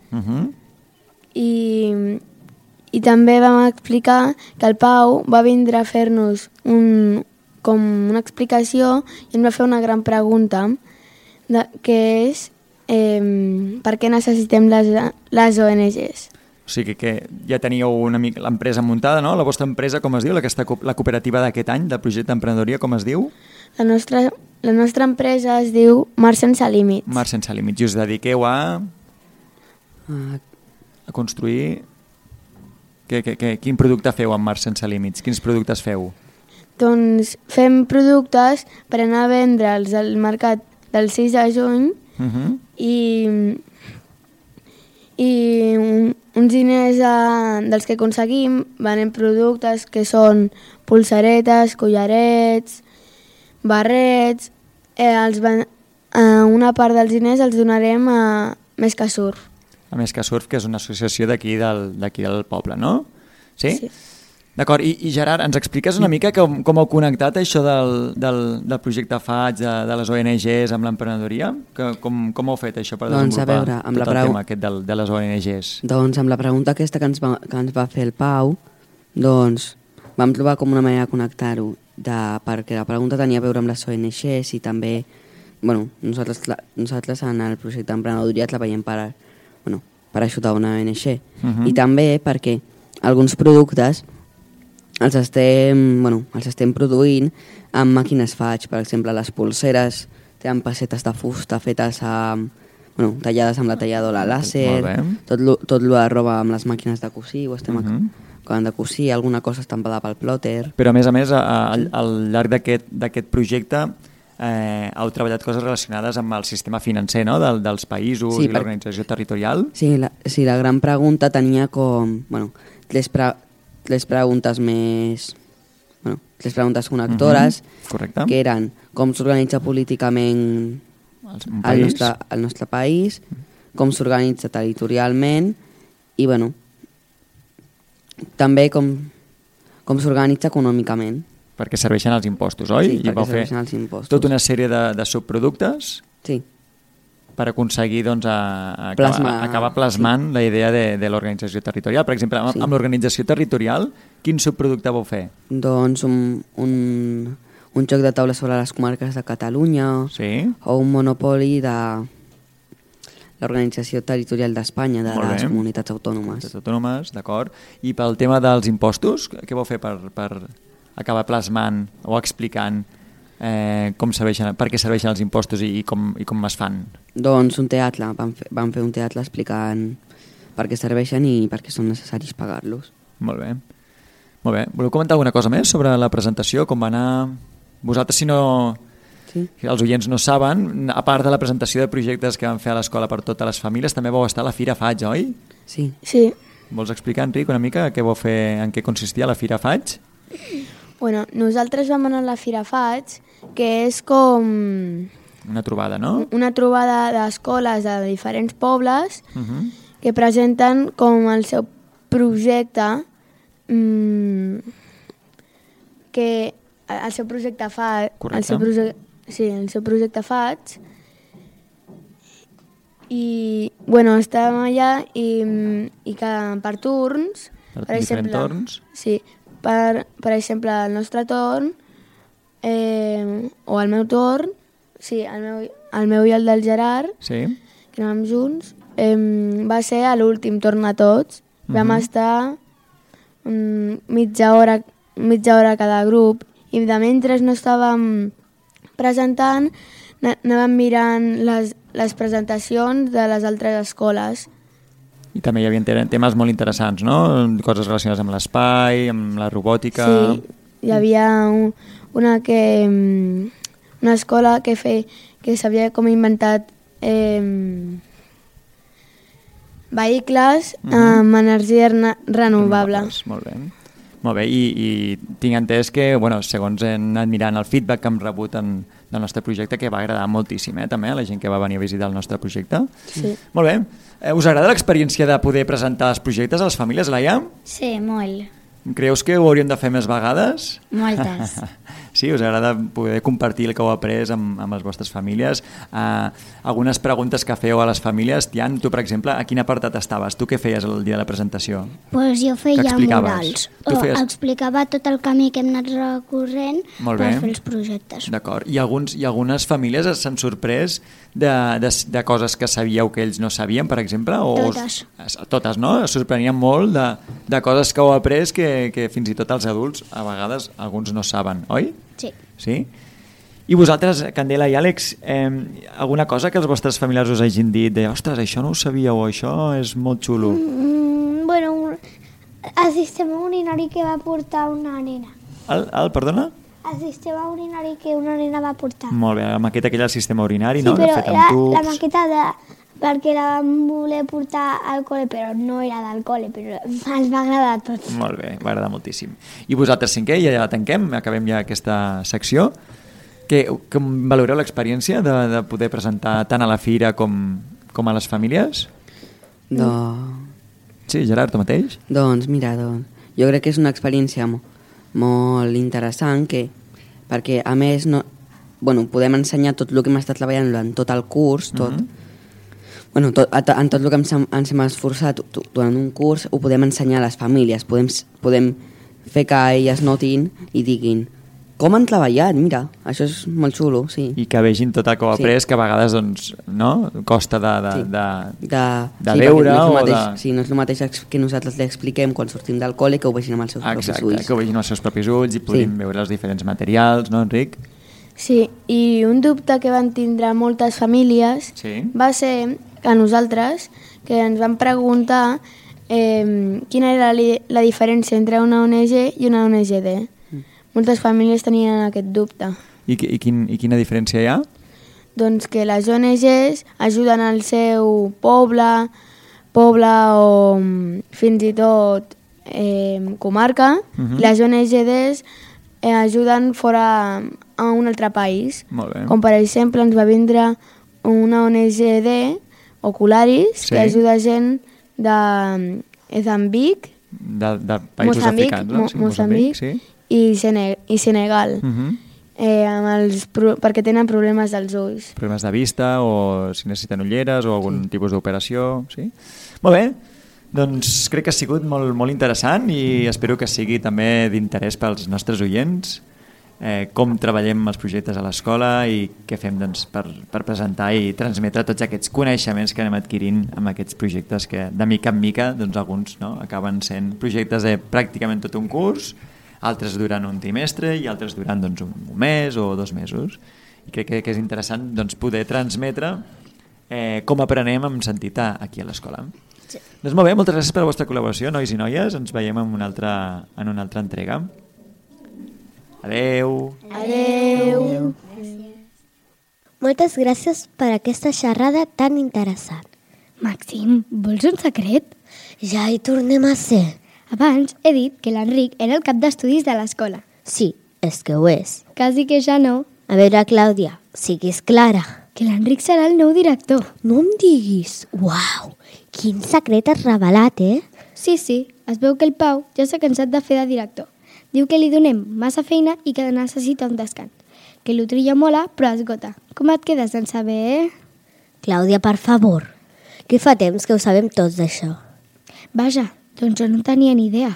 I també vam explicar que el Pau va vindre a fer-nos com una explicació i ens va fer una gran pregunta, que és per què necessitem les ONGs. O sigui que ja teníeu una mica l'empresa muntada, no? La vostra empresa, com es diu? La cooperativa d'aquest any, del projecte d'emprenedoria, com es diu? La nostra empresa es diu Mar Sense Límits. Mar Sense Límits. I us dediqueu a construir... Quin producte feu amb Mar Sense Límits? Quins productes feu? Doncs fem productes per anar a vendre'ls al mercat del 6 de juny i uns diners dels que aconseguim venem productes que són pulseretes, collarets, barrets. Una part dels diners els donarem a Més que Surf. A Més que Surf, que és una associació d'aquí del poble, no? Sí? Sí. D'acord, i Gerard, ens expliques una mica com heu connectat això del projecte FATS, de les ONGs amb l'emprenedoria? Com heu fet això per desenvolupar tot el tema aquest de les ONGs? Doncs amb la pregunta aquesta que ens va fer el Pau, doncs vam trobar com una manera de connectar-ho, perquè la pregunta tenia a veure amb les ONGs i també, bueno, nosaltres en el projecte d'emprenedoria treballem per ajudar una ONG. I també perquè alguns productes els estem produint amb màquines faig. Per exemple, les polseres tenen pessetes de fusta fetes tallades amb la talladora làser, tot el de roba amb les màquines de cosir, ho estem acabant de cosir, alguna cosa estampada pel plòter. Però a més, al llarg d'aquest projecte heu treballat coses relacionades amb el sistema financer, no?, dels països i l'organització territorial. Sí, la gran pregunta tenia com... tres preguntes més... tres preguntes connectores, que eren com s'organitza políticament el nostre país, com s'organitza territorialment i, també com s'organitza econòmicament. Perquè serveixen els impostos, oi? Sí, perquè serveixen els impostos. Tota una sèrie de subproductes per aconseguir acabar plasmant la idea de l'organització territorial. Per exemple, amb l'organització territorial, quin subproducte vau fer? Doncs un joc de taula sobre les comarques de Catalunya o un monopoli de l'organització territorial d'Espanya, de les comunitats autònomes. Comunitats autònomes, d'acord. I pel tema dels impostos, què vau fer per acabar plasmant o explicant per què serveixen els impostos i com es fan? Doncs un teatre, vam fer un teatre explicant per què serveixen i per què són necessaris pagar-los. Molt bé. Voleu comentar alguna cosa més sobre la presentació, com va anar? Vosaltres, si els oients no saben, a part de la presentació de projectes que van fer a l'escola per totes les famílies, també vau estar a la Fira Faig, oi? Sí. Vols explicar, Enric, una mica què vau fer, en què consistia la Fira Faig? Bueno, nosaltres vam anar a la Fira Faig, que és com... Una trobada, no? Una trobada d'escoles de diferents pobles que presenten com el seu projecte el seu projecte FAIG, el seu projecte FAIG, i estàvem allà i que per turns, per exemple, torns? Sí, per exemple, el nostre torn o el meu torn, sí, el meu i el del Gerard, que anàvem junts, va ser a l'últim torn a tots. Vam estar mitja hora cada grup i de mentre no estàvem presentant anàvem mirant les presentacions de les altres escoles. I també hi havia temes molt interessants, no? Coses relacionades amb l'espai, amb la robòtica... Sí, hi havia una escola que s'havia com inventat vehicles amb energia renovable. Molt bé, i tinc entès que, segons he anat mirant el feedback que hem rebut del nostre projecte, que va agradar moltíssim, també, a la gent que va venir a visitar el nostre projecte. Sí. Molt bé. Us agrada l'experiència de poder presentar els projectes a les famílies, Laia? Sí, molt. Creus que ho hauríem de fer més vegades? Moltes. Sí, us agrada poder compartir el que heu après amb les vostres famílies. Algunes preguntes que feu a les famílies. Tian, tu, per exemple, a quin apartat estaves? Tu què feies el dia de la presentació? Pues jo feia murals. Explicava tot el camí que hem anat recorrent per fer els projectes. D'acord. I algunes famílies s'han sorprès de coses que sabíeu que ells no sabien, per exemple? Totes. Totes, no? Es sorprenien molt de coses que heu après que fins i tot els adults, a vegades, alguns no saben, oi? Sí. I vosaltres, Candela i Àlex, alguna cosa que els vostres familiars us hagin dit de ostres, això no ho sabíeu, això és molt xulo? El sistema urinari que va portar una nena. Perdona? El sistema urinari que una nena va portar. Molt bé, la maqueta aquella del sistema urinari, sí, no? Però era la maqueta perquè la vam voler portar al col·le, però no era del col·le, però ens va agradar a tots. Molt bé, va agradar moltíssim. I vosaltres, cinquè, ja tanquem, acabem ja aquesta secció. Com valoreu l'experiència de poder presentar tant a la fira com a les famílies? Sí, Gerard, tu mateix? Doncs mira, jo crec que és una experiència molt interessant perquè a més podem ensenyar tot el que hem estat treballant en tot el curs, en tot el que ens hem esforçat durant un curs ho podem ensenyar a les famílies, podem fer que elles notin i diguin com han treballat, mira, això és molt xulo, sí. I que vegin tot el que ho ha après, que a vegades doncs, no? Costa de veure Sí, no és el mateix que nosaltres li expliquem quan sortim del col·le, que ho vegin amb els seus propis ulls. Que ho vegin amb els seus propis ulls i puguin veure els diferents materials, no, Enric? Sí, i un dubte que van tindre moltes famílies va ser que nosaltres, que ens van preguntar quina era la diferència entre una ONG i una ONGD. Moltes famílies tenien aquest dubte. I quina diferència hi ha? Doncs que les ONGs ajuden al seu poble o fins i tot comarca, i les ONGDs ajuden fora a un altre país. Molt bé. Com per exemple ens va vindre una ONGD, Ocularis, que ajuda gent de Mozambic, de països africans, no? Moçambic i Senegal, perquè tenen problemes dels ulls. Problemes de vista o si necessiten ulleres o algun tipus d'operació, sí? Molt bé, doncs crec que ha sigut molt, molt interessant i espero que sigui també d'interès pels nostres oients com treballem els projectes a l'escola i què fem doncs, per presentar i transmetre tots aquests coneixements que anem adquirint amb aquests projectes que de mica en mica doncs, alguns acaben sent projectes de pràcticament tot un curs, altres duran un trimestre i altres duran doncs, un mes o 2 mesos. I crec que és interessant doncs, poder transmetre com aprenem amb sentit aquí a l'escola. Sí. Doncs molt bé, moltes gràcies per la vostra col·laboració, nois i noies. Ens veiem en una altra entrega. Adeu. Adeu. Moltes gràcies per aquesta xerrada tan interessant. Màxim, vols un secret? Ja hi tornem a ser. Abans he dit que l'Enric era el cap d'estudis de l'escola. Sí, és que ho és. Quasi que ja no. A veure, Clàudia, siguis clara. Que l'Enric serà el nou director. No em diguis. Uau, quin secret has revelat, Sí, es veu que el Pau ja s'ha cansat de fer de director. Diu que li donem massa feina i que necessita un descans. Que l'Utrillo mola, però esgota. Com et quedes en saber, Clàudia, per favor, que fa temps que ho sabem tots d'això. Vaja, doncs jo no tenia ni idea.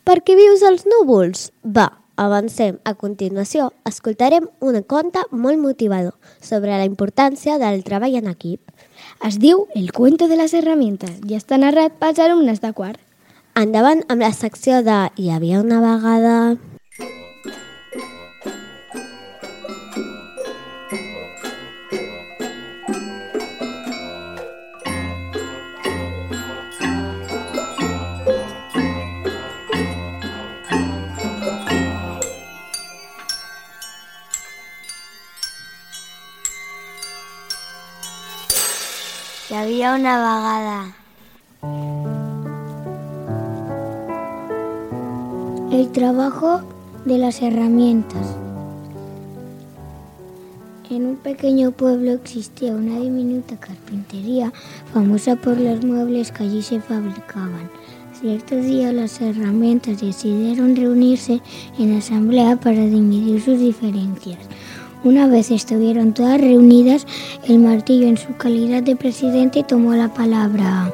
Per què vius als núvols? Va, avancem. A continuació, escoltarem un conte molt motivador sobre la importància del treball en equip. Es diu El cuento de les herramientas i està narrat pels alumnes de quart. Endavant amb la secció de Hi havia una vegada... Hi havia una vegada. El trabajo de las herramientas. En un pequeño pueblo existía una diminuta carpintería famosa por los muebles que allí se fabricaban. Cierto día las herramientas decidieron reunirse en asamblea para dividir sus diferencias. Una vez estuvieron todas reunidas, el martillo en su calidad de presidente tomó la palabra.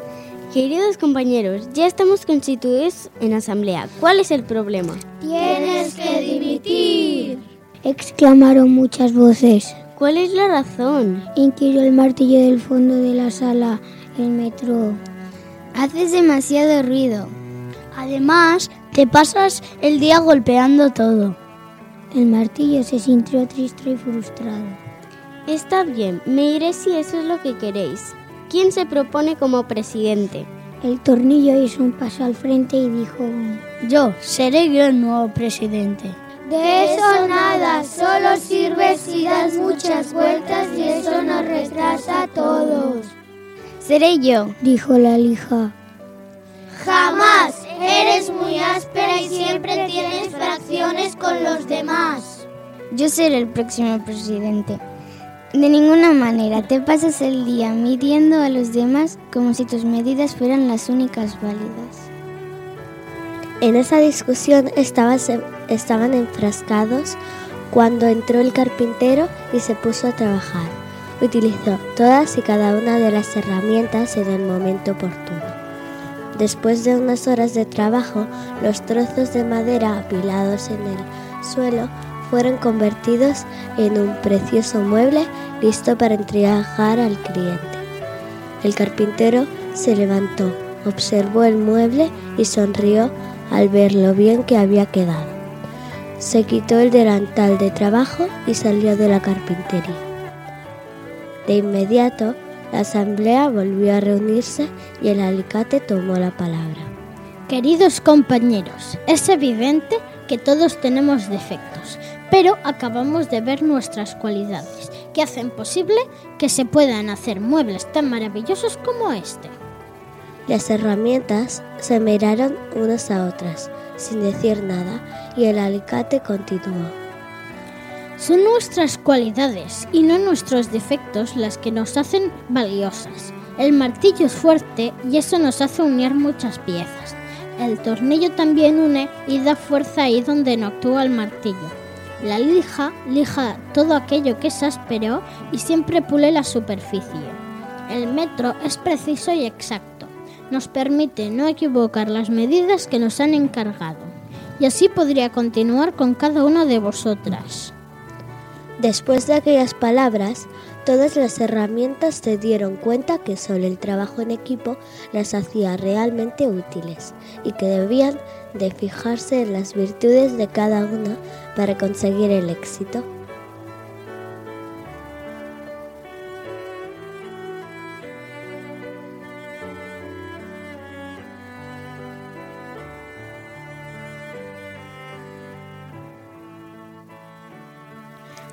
Queridos compañeros, ya estamos constituidos en asamblea. ¿Cuál es el problema? ¡Tienes que dimitir!, exclamaron muchas voces. ¿Cuál es la razón?, inquirió el martillo del fondo de la sala. El metro. Haces demasiado ruido. Además, te pasas el día golpeando todo. El martillo se sintió triste y frustrado. Está bien, me iré si eso es lo que queréis. ¿Quién se propone como presidente? El tornillo hizo un paso al frente y dijo: Yo, seré yo el nuevo presidente. De eso nada, solo sirve si das muchas vueltas y eso nos retrasa a todos. Seré yo, dijo la lija. Jamás, eres muy áspera y siempre tienes fracciones con los demás. Yo seré el próximo presidente. De ninguna manera te pasas el día midiendo a los demás como si tus medidas fueran las únicas válidas. En esa discusión estaban enfrascados cuando entró el carpintero y se puso a trabajar. Utilizó todas y cada una de las herramientas en el momento oportuno. Después de unas horas de trabajo, los trozos de madera apilados en el suelo fueron convertidos en un precioso mueble listo para entregar al cliente. El carpintero se levantó, observó el mueble y sonrió al ver lo bien que había quedado. Se quitó el delantal de trabajo y salió de la carpintería. De inmediato, la asamblea volvió a reunirse y el alicate tomó la palabra. Queridos compañeros, es evidente que todos tenemos defectos, pero acabamos de ver nuestras cualidades, que hacen posible que se puedan hacer muebles tan maravillosos como este. Las herramientas se miraron unas a otras, sin decir nada, y el alicate continuó. Son nuestras cualidades y no nuestros defectos las que nos hacen valiosas. El martillo es fuerte y eso nos hace unir muchas piezas. El tornillo también une y da fuerza ahí donde no actúa el martillo. La lija todo aquello que es áspero y siempre pule la superficie. El metro es preciso y exacto. Nos permite no equivocar las medidas que nos han encargado. Y así podría continuar con cada una de vosotras. Después de aquellas palabras, todas las herramientas se dieron cuenta que solo el trabajo en equipo las hacía realmente útiles y que debían de fijarse en las virtudes de cada una para conseguir el éxito.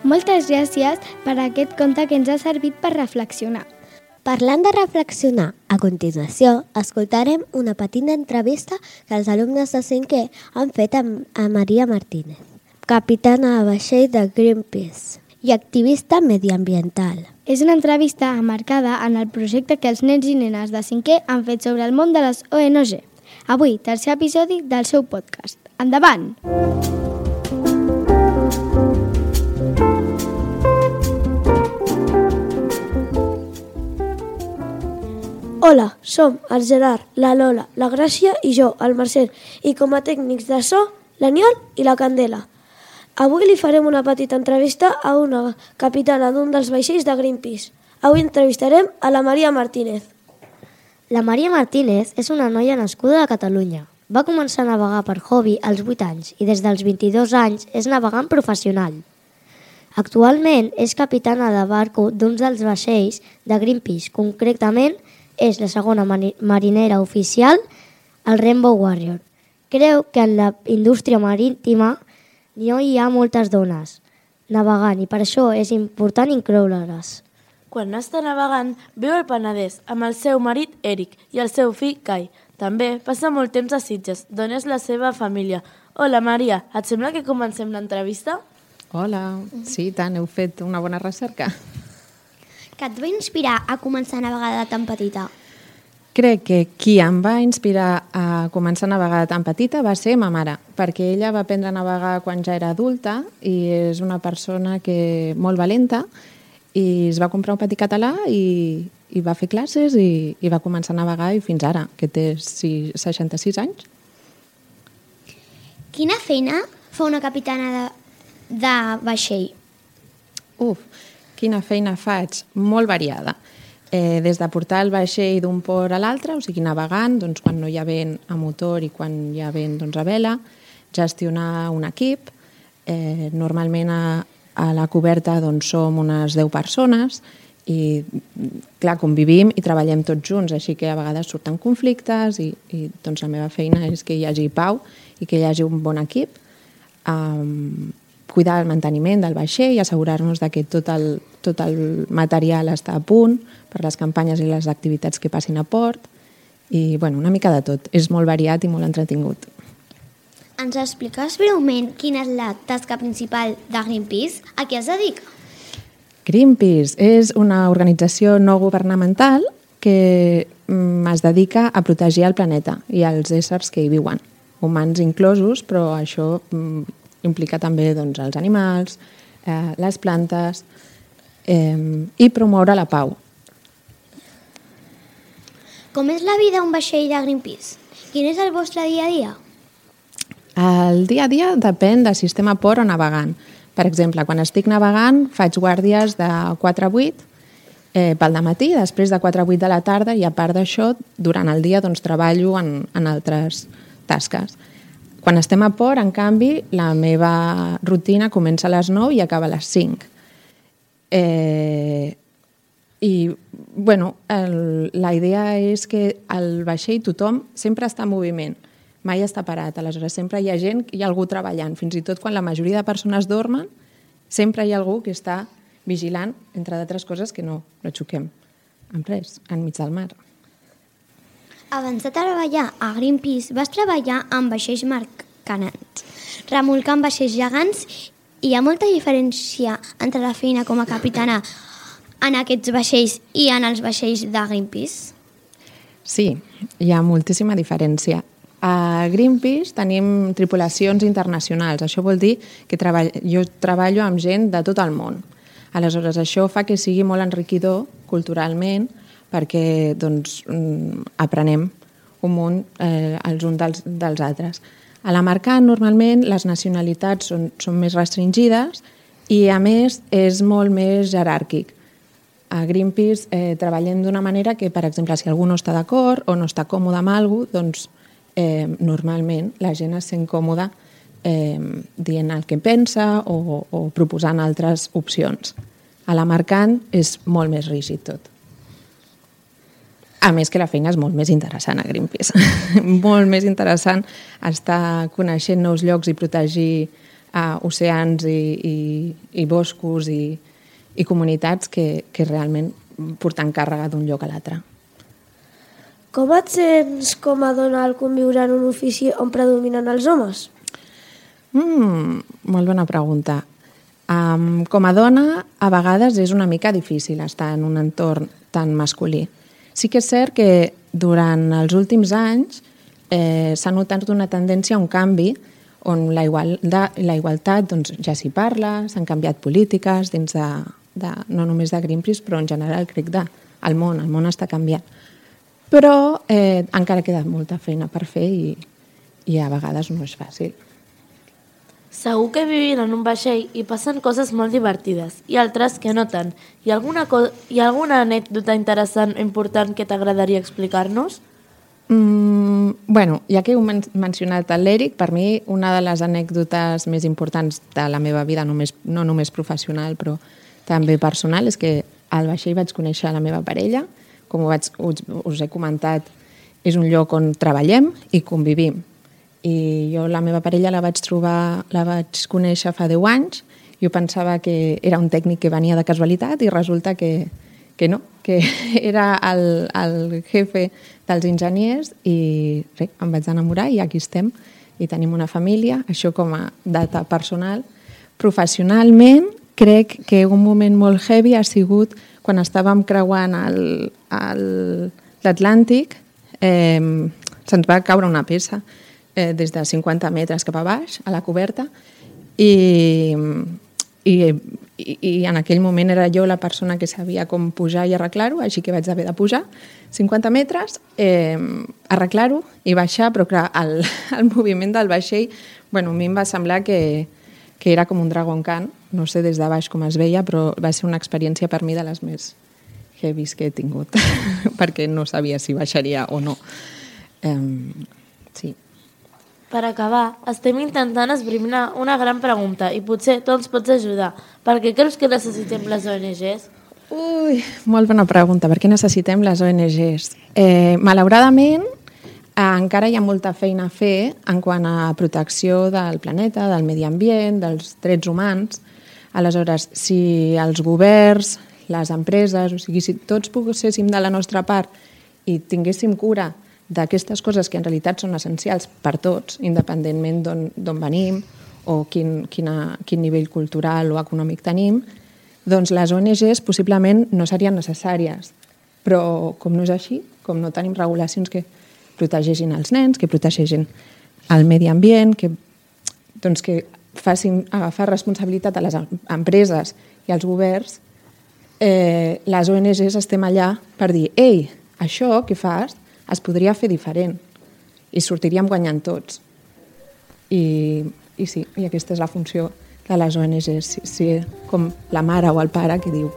Moltes gràcies per aquest conte que ens ha servit per reflexionar. Parlant de reflexionar, a continuació escoltarem una petita entrevista que els alumnes de 5è han fet a Maria Martínez, capitana de vaixell de Greenpeace i activista mediambiental. És una entrevista emmarcada en el projecte que els nens i nenes de 5è han fet sobre el món de les ONG. Avui, tercer episodi del seu podcast. Endavant! Hola, som el Gerard, la Lola, la Gràcia i jo, el Marcel, i com a tècnics de so, l'Aniol i la Candela. Avui li farem una petita entrevista a una capitana d'un dels vaixells de Greenpeace. Avui entrevistarem a la Maria Martínez. La Maria Martínez és una noia nascuda a Catalunya. Va començar a navegar per hobby als 8 anys i des dels 22 anys és navegant professional. Actualment és capitana de barco d'un dels vaixells de Greenpeace, concretament és la segona marinera oficial, el Rainbow Warrior. Creu que en la indústria marítima no hi ha moltes dones navegant i per això és important incloure-les. Quan està navegant, viu al Penedès amb el seu marit Eric i el seu fill Kai. També passa molt temps a Sitges, d'on és la seva família. Hola Maria, et sembla que comencem l'entrevista? Hola, sí, tant, heu fet una bona recerca. Què et va inspirar a començar a navegar de tan petita? Crec que qui em va inspirar a començar a navegar de tan petita va ser ma mare, perquè ella va aprendre a navegar quan ja era adulta i és una persona molt valenta i es va comprar un petit català i va fer classes i va començar a navegar i fins ara, que té 66 anys. Quina feina fa una capitana de vaixell? Quina feina faig? Molt variada. Des de portar el vaixell d'un port a l'altre, o sigui, navegant, doncs, quan no hi ha vent a motor i quan hi ha vent a vela, gestionar un equip. Normalment a la coberta doncs, som unes 10 persones i, clar, convivim i treballem tots junts, així que a vegades surten conflictes i doncs, la meva feina és que hi hagi pau i que hi hagi un bon equip. Cuidar el manteniment del vaixell i assegurar-nos que tot el material està a punt per les campanyes i les activitats que passin a port. I, bueno, una mica de tot. És molt variat i molt entretingut. Ens expliques breument quina és la tasca principal de Greenpeace? A què es dedica? Greenpeace és una organització no governamental que es dedica a protegir el planeta i els éssers que hi viuen, humans inclosos, però això implica també doncs, els animals, les plantes i promoure la pau. Com és la vida a un vaixell de Greenpeace? Quin és el vostre dia a dia? El dia a dia depèn del sistema port o navegant, Per exemple, quan estic navegant faig guàrdies de 4 a 8 pel dematí, després de 4 a 8 de la tarda, i a part d'això, durant el dia doncs, treballo en altres tasques. Quan estem a port, en canvi, la meva rutina comença a les 9 i acaba a les 5. La idea és que al vaixell tothom sempre està en moviment, mai està parat, aleshores sempre hi ha gent, hi ha algú treballant, fins i tot quan la majoria de persones dormen, sempre hi ha algú que està vigilant, entre d'altres coses, que no xoquem amb res, enmig del mar. Abans de treballar a Greenpeace vas treballar amb vaixells mercants, remolcant vaixells gegants. Hi ha molta diferència entre la feina com a capitana en aquests vaixells i en els vaixells de Greenpeace? Sí, hi ha moltíssima diferència. A Greenpeace tenim tripulacions internacionals. Això vol dir que jo treballo amb gent de tot el món. Aleshores, això fa que sigui molt enriquidor culturalment perquè aprenem un munt els uns dels altres. A la mercant, normalment, les nacionalitats són més restringides i, a més, és molt més jeràrquic. A Greenpeace treballem d'una manera que, per exemple, si algú no està d'acord o no està còmode amb alguna cosa, doncs normalment la gent es sent còmoda dient el que pensa o proposant altres opcions. A la mercant és molt més rígid tot. A més que la feina és molt més interessant a Greenpeace. Molt més interessant estar coneixent nous llocs i protegir oceans i boscos i comunitats que realment portant càrrega d'un lloc a l'altre. Com et sents com a dona al conviure en un ofici on predominen els homes? Molt bona pregunta. Com a dona, a vegades és una mica difícil estar en un entorn tan masculí. Sí que és cert que durant els últims anys s'ha notat una tendència a un canvi on la igualtat ja s'hi parla, s'han canviat polítiques dins no només de Greenpeace, però en general crec del món. El món està canviant. Però encara queda molta feina per fer i a vegades no és fàcil. Segur que vivint en un vaixell hi passen coses molt divertides i altres que no tant. Hi ha alguna anècdota interessant o important que t'agradaria explicar-nos? Ja que heu mencionat l'Eric, per mi una de les anècdotes més importants de la meva vida, no només professional però també personal, és que al vaixell vaig conèixer la meva parella. Com us he comentat, és un lloc on treballem i convivim. I jo la meva parella la vaig conèixer fa 10 anys. Jo pensava que era un tècnic que venia de casualitat i resulta que no, que era el jefe dels enginyers i res, em vaig enamorar i aquí estem i tenim una família. Això com a data personal. Professionalment, crec que un moment molt heavy ha sigut quan estàvem creuant l'Atlàntic, se'ns va caure una peça des de 50 metres cap a baix, a la coberta, i en aquell moment era jo la persona que sabia com pujar i arreglar-ho, així que vaig haver de pujar 50 metres, arreglar-ho i baixar, però clar, el moviment del vaixell, a mi em va semblar que era com un Dragon Khan, no sé des de baix com es veia, però va ser una experiència per mi de les més heavies que he tingut, perquè no sabia si baixaria o no. Sí. Per acabar, estem intentant esbrinar una gran pregunta i potser tu ens pots ajudar. Per què creus que necessitem les ONGs? Molt bona pregunta. Per què necessitem les ONGs? Malauradament, encara hi ha molta feina a fer en quant a protecció del planeta, del medi ambient, dels drets humans. Aleshores, si els governs, les empreses, o sigui, si tots poguéssim de la nostra part i tinguéssim cura d'aquestes coses que en realitat són essencials per tots, independentment d'on venim o quin nivell cultural o econòmic tenim, doncs les ONGs possiblement no serien necessàries. Però com no és així, com no tenim regulacions que protegeixin els nens, que protegeixin el medi ambient, que facin agafar responsabilitat a les empreses i als governs, les ONGs estem allà per dir «Ei, això que fas es podria fer diferent i sortiríem guanyant tots». I sí, i aquesta és la funció que les ONGs, sí, com la mare o el pare que diu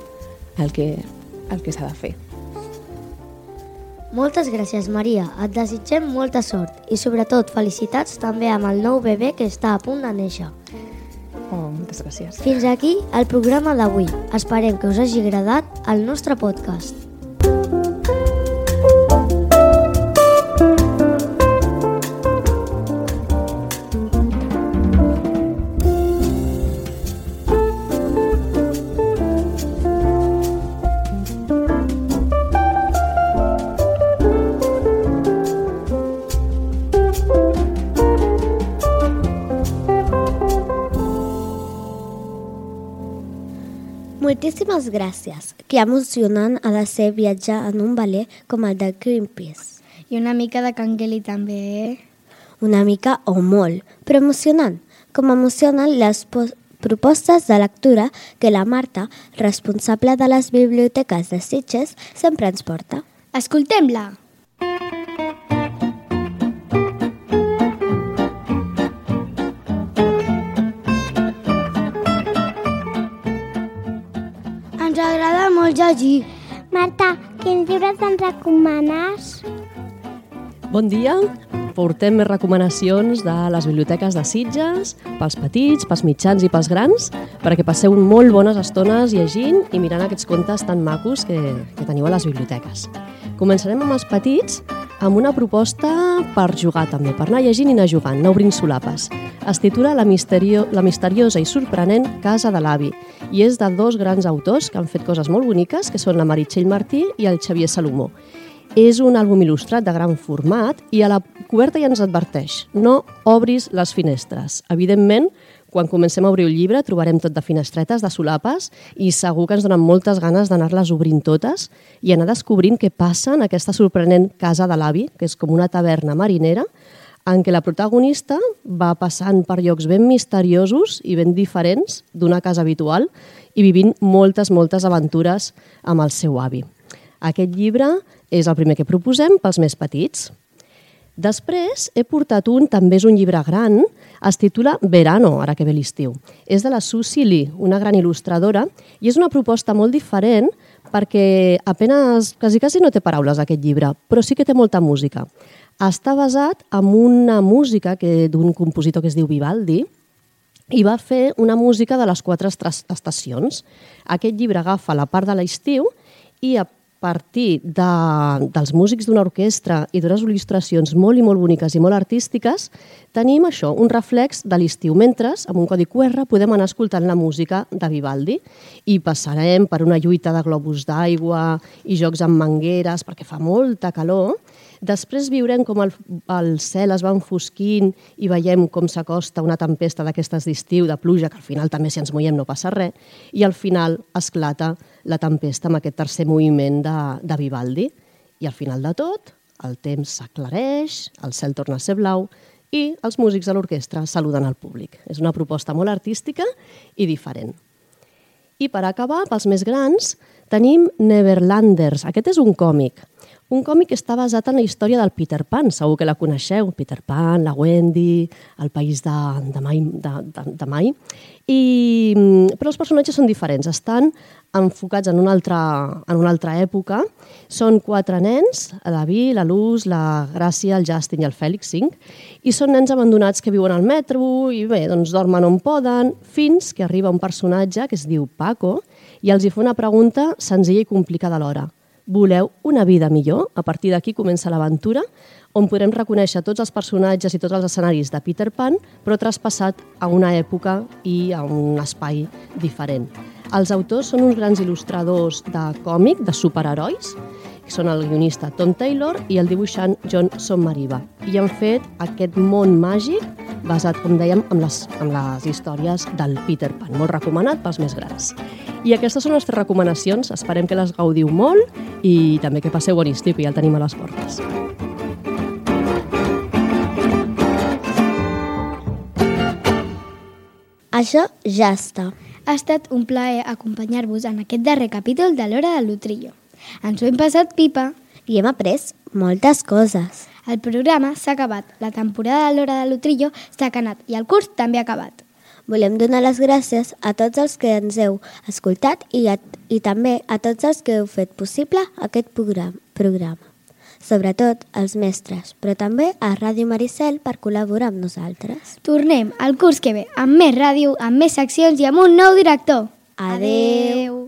el que s'ha de fer. Moltes gràcies, Maria. Et desitgem molta sort i, sobretot, felicitats també amb el nou bebè que està a punt de néixer. Oh, moltes gràcies. Fins aquí el programa d'avui. Esperem que us hagi agradat el nostre podcast. Moltíssimes gràcies. Que emocionant ha de ser viatjar en un veler com el de Greenpeace. I una mica de cangueli també, eh? Una mica o molt, però emocionant. Com emocionen les propostes de lectura que la Marta, responsable de les biblioteques de Sitges, sempre ens porta. Escoltem-la! Ens agrada molt llegir. Marta, quins llibres ens recomanes? Bon dia. Portem més recomanacions de les biblioteques de Sitges, pels petits, pels mitjans i pels grans, perquè passeu molt bones estones llegint i mirant aquests contes tan macos que teniu a les biblioteques. Començarem amb els petits, amb una proposta per jugar també, per anar llegint i anar jugant, anar obrint solapes. Es titula La misteriosa i sorprenent casa de l'avi i és de dos grans autors que han fet coses molt boniques, que són la Meritxell Martí i el Xavier Salomó. És un àlbum il·lustrat de gran format i a la coberta ja ens adverteix: no obris les finestres. Evidentment, quan comencem a obrir el llibre trobarem tot de finestretes, de solapes, i segur que ens donen moltes ganes d'anar-les obrint totes i anar descobrint què passa en aquesta sorprenent casa de l'avi, que és com una taverna marinera, en què la protagonista va passant per llocs ben misteriosos i ben diferents d'una casa habitual i vivint moltes aventures amb el seu avi. Aquest llibre és el primer que proposem pels més petits. Després he portat també és un llibre gran, es titula Verano, ara que ve l'estiu. És de la Susie Lee, una gran il·lustradora, i és una proposta molt diferent perquè quasi no té paraules aquest llibre, però sí que té molta música. Està basat en una música d'un compositor que es diu Vivaldi i va fer una música de les 4 estacions. Aquest llibre agafa la part de l'estiu i a partir dels músics d'una orquestra i d'unes il·lustracions molt i molt boniques i molt artístiques, tenim això, un reflex de l'estiu, mentre amb un codi QR podem anar escoltant la música de Vivaldi i passarem per una lluita de globus d'aigua i jocs amb mangueres perquè fa molta calor. Després viurem com el cel es va enfosquint i veiem com s'acosta una tempesta d'aquestes d'estiu, de pluja, que al final també si ens mullem no passa res, i al final esclata la tempesta amb aquest tercer moviment de Vivaldi. I al final de tot, el temps s'aclareix, el cel torna a ser blau i els músics de l'orquestra saluden al públic. És una proposta molt artística i diferent. I per acabar, pels més grans, tenim Neverlanders. Aquest és un còmic que està basat en la història del Peter Pan, segur que la coneixeu, Peter Pan, la Wendy, el país de mai. Però els personatges són diferents, estan enfocats en una altra època. Són 4 nens, la Vi, la Luz, la Gràcia, el Justin i el Fèlix, 5, i són nens abandonats que viuen al metro i bé, doncs dormen on poden, fins que arriba un personatge que es diu Paco i els hi fa una pregunta senzilla i complicada alhora. Voleu una vida millor? A partir d'aquí comença l'aventura, on podrem reconèixer tots els personatges i tots els escenaris de Peter Pan, però traspassat a una època i a un espai diferent. Els autors són uns grans il·lustradors de còmic, de superherois, que són el guionista Tom Taylor i el dibuixant John Sommariva. I han fet aquest món màgic basat, com dèiem, en les històries del Peter Pan. Molt recomanat pels més grans. I aquestes són les 3 recomanacions. Esperem que les gaudiu molt i també que passeu bon estiu, que ja el tenim a les portes. Això ja està. Ha estat un plaer acompanyar-vos en aquest darrer capítol de l'Hora de l'Utrillo. Ens ho hem passat pipa. I hem après moltes coses. El programa s'ha acabat, la temporada de l'Hora de l'Utrillo s'ha acabat i el curs també ha acabat. Volem donar les gràcies a tots els que ens heu escoltat i també a tots els que heu fet possible aquest programa. Sobretot als mestres, però també a Ràdio Maricel per col·laborar amb nosaltres. Tornem el curs que ve amb més ràdio, amb més seccions i amb un nou director. Adeu!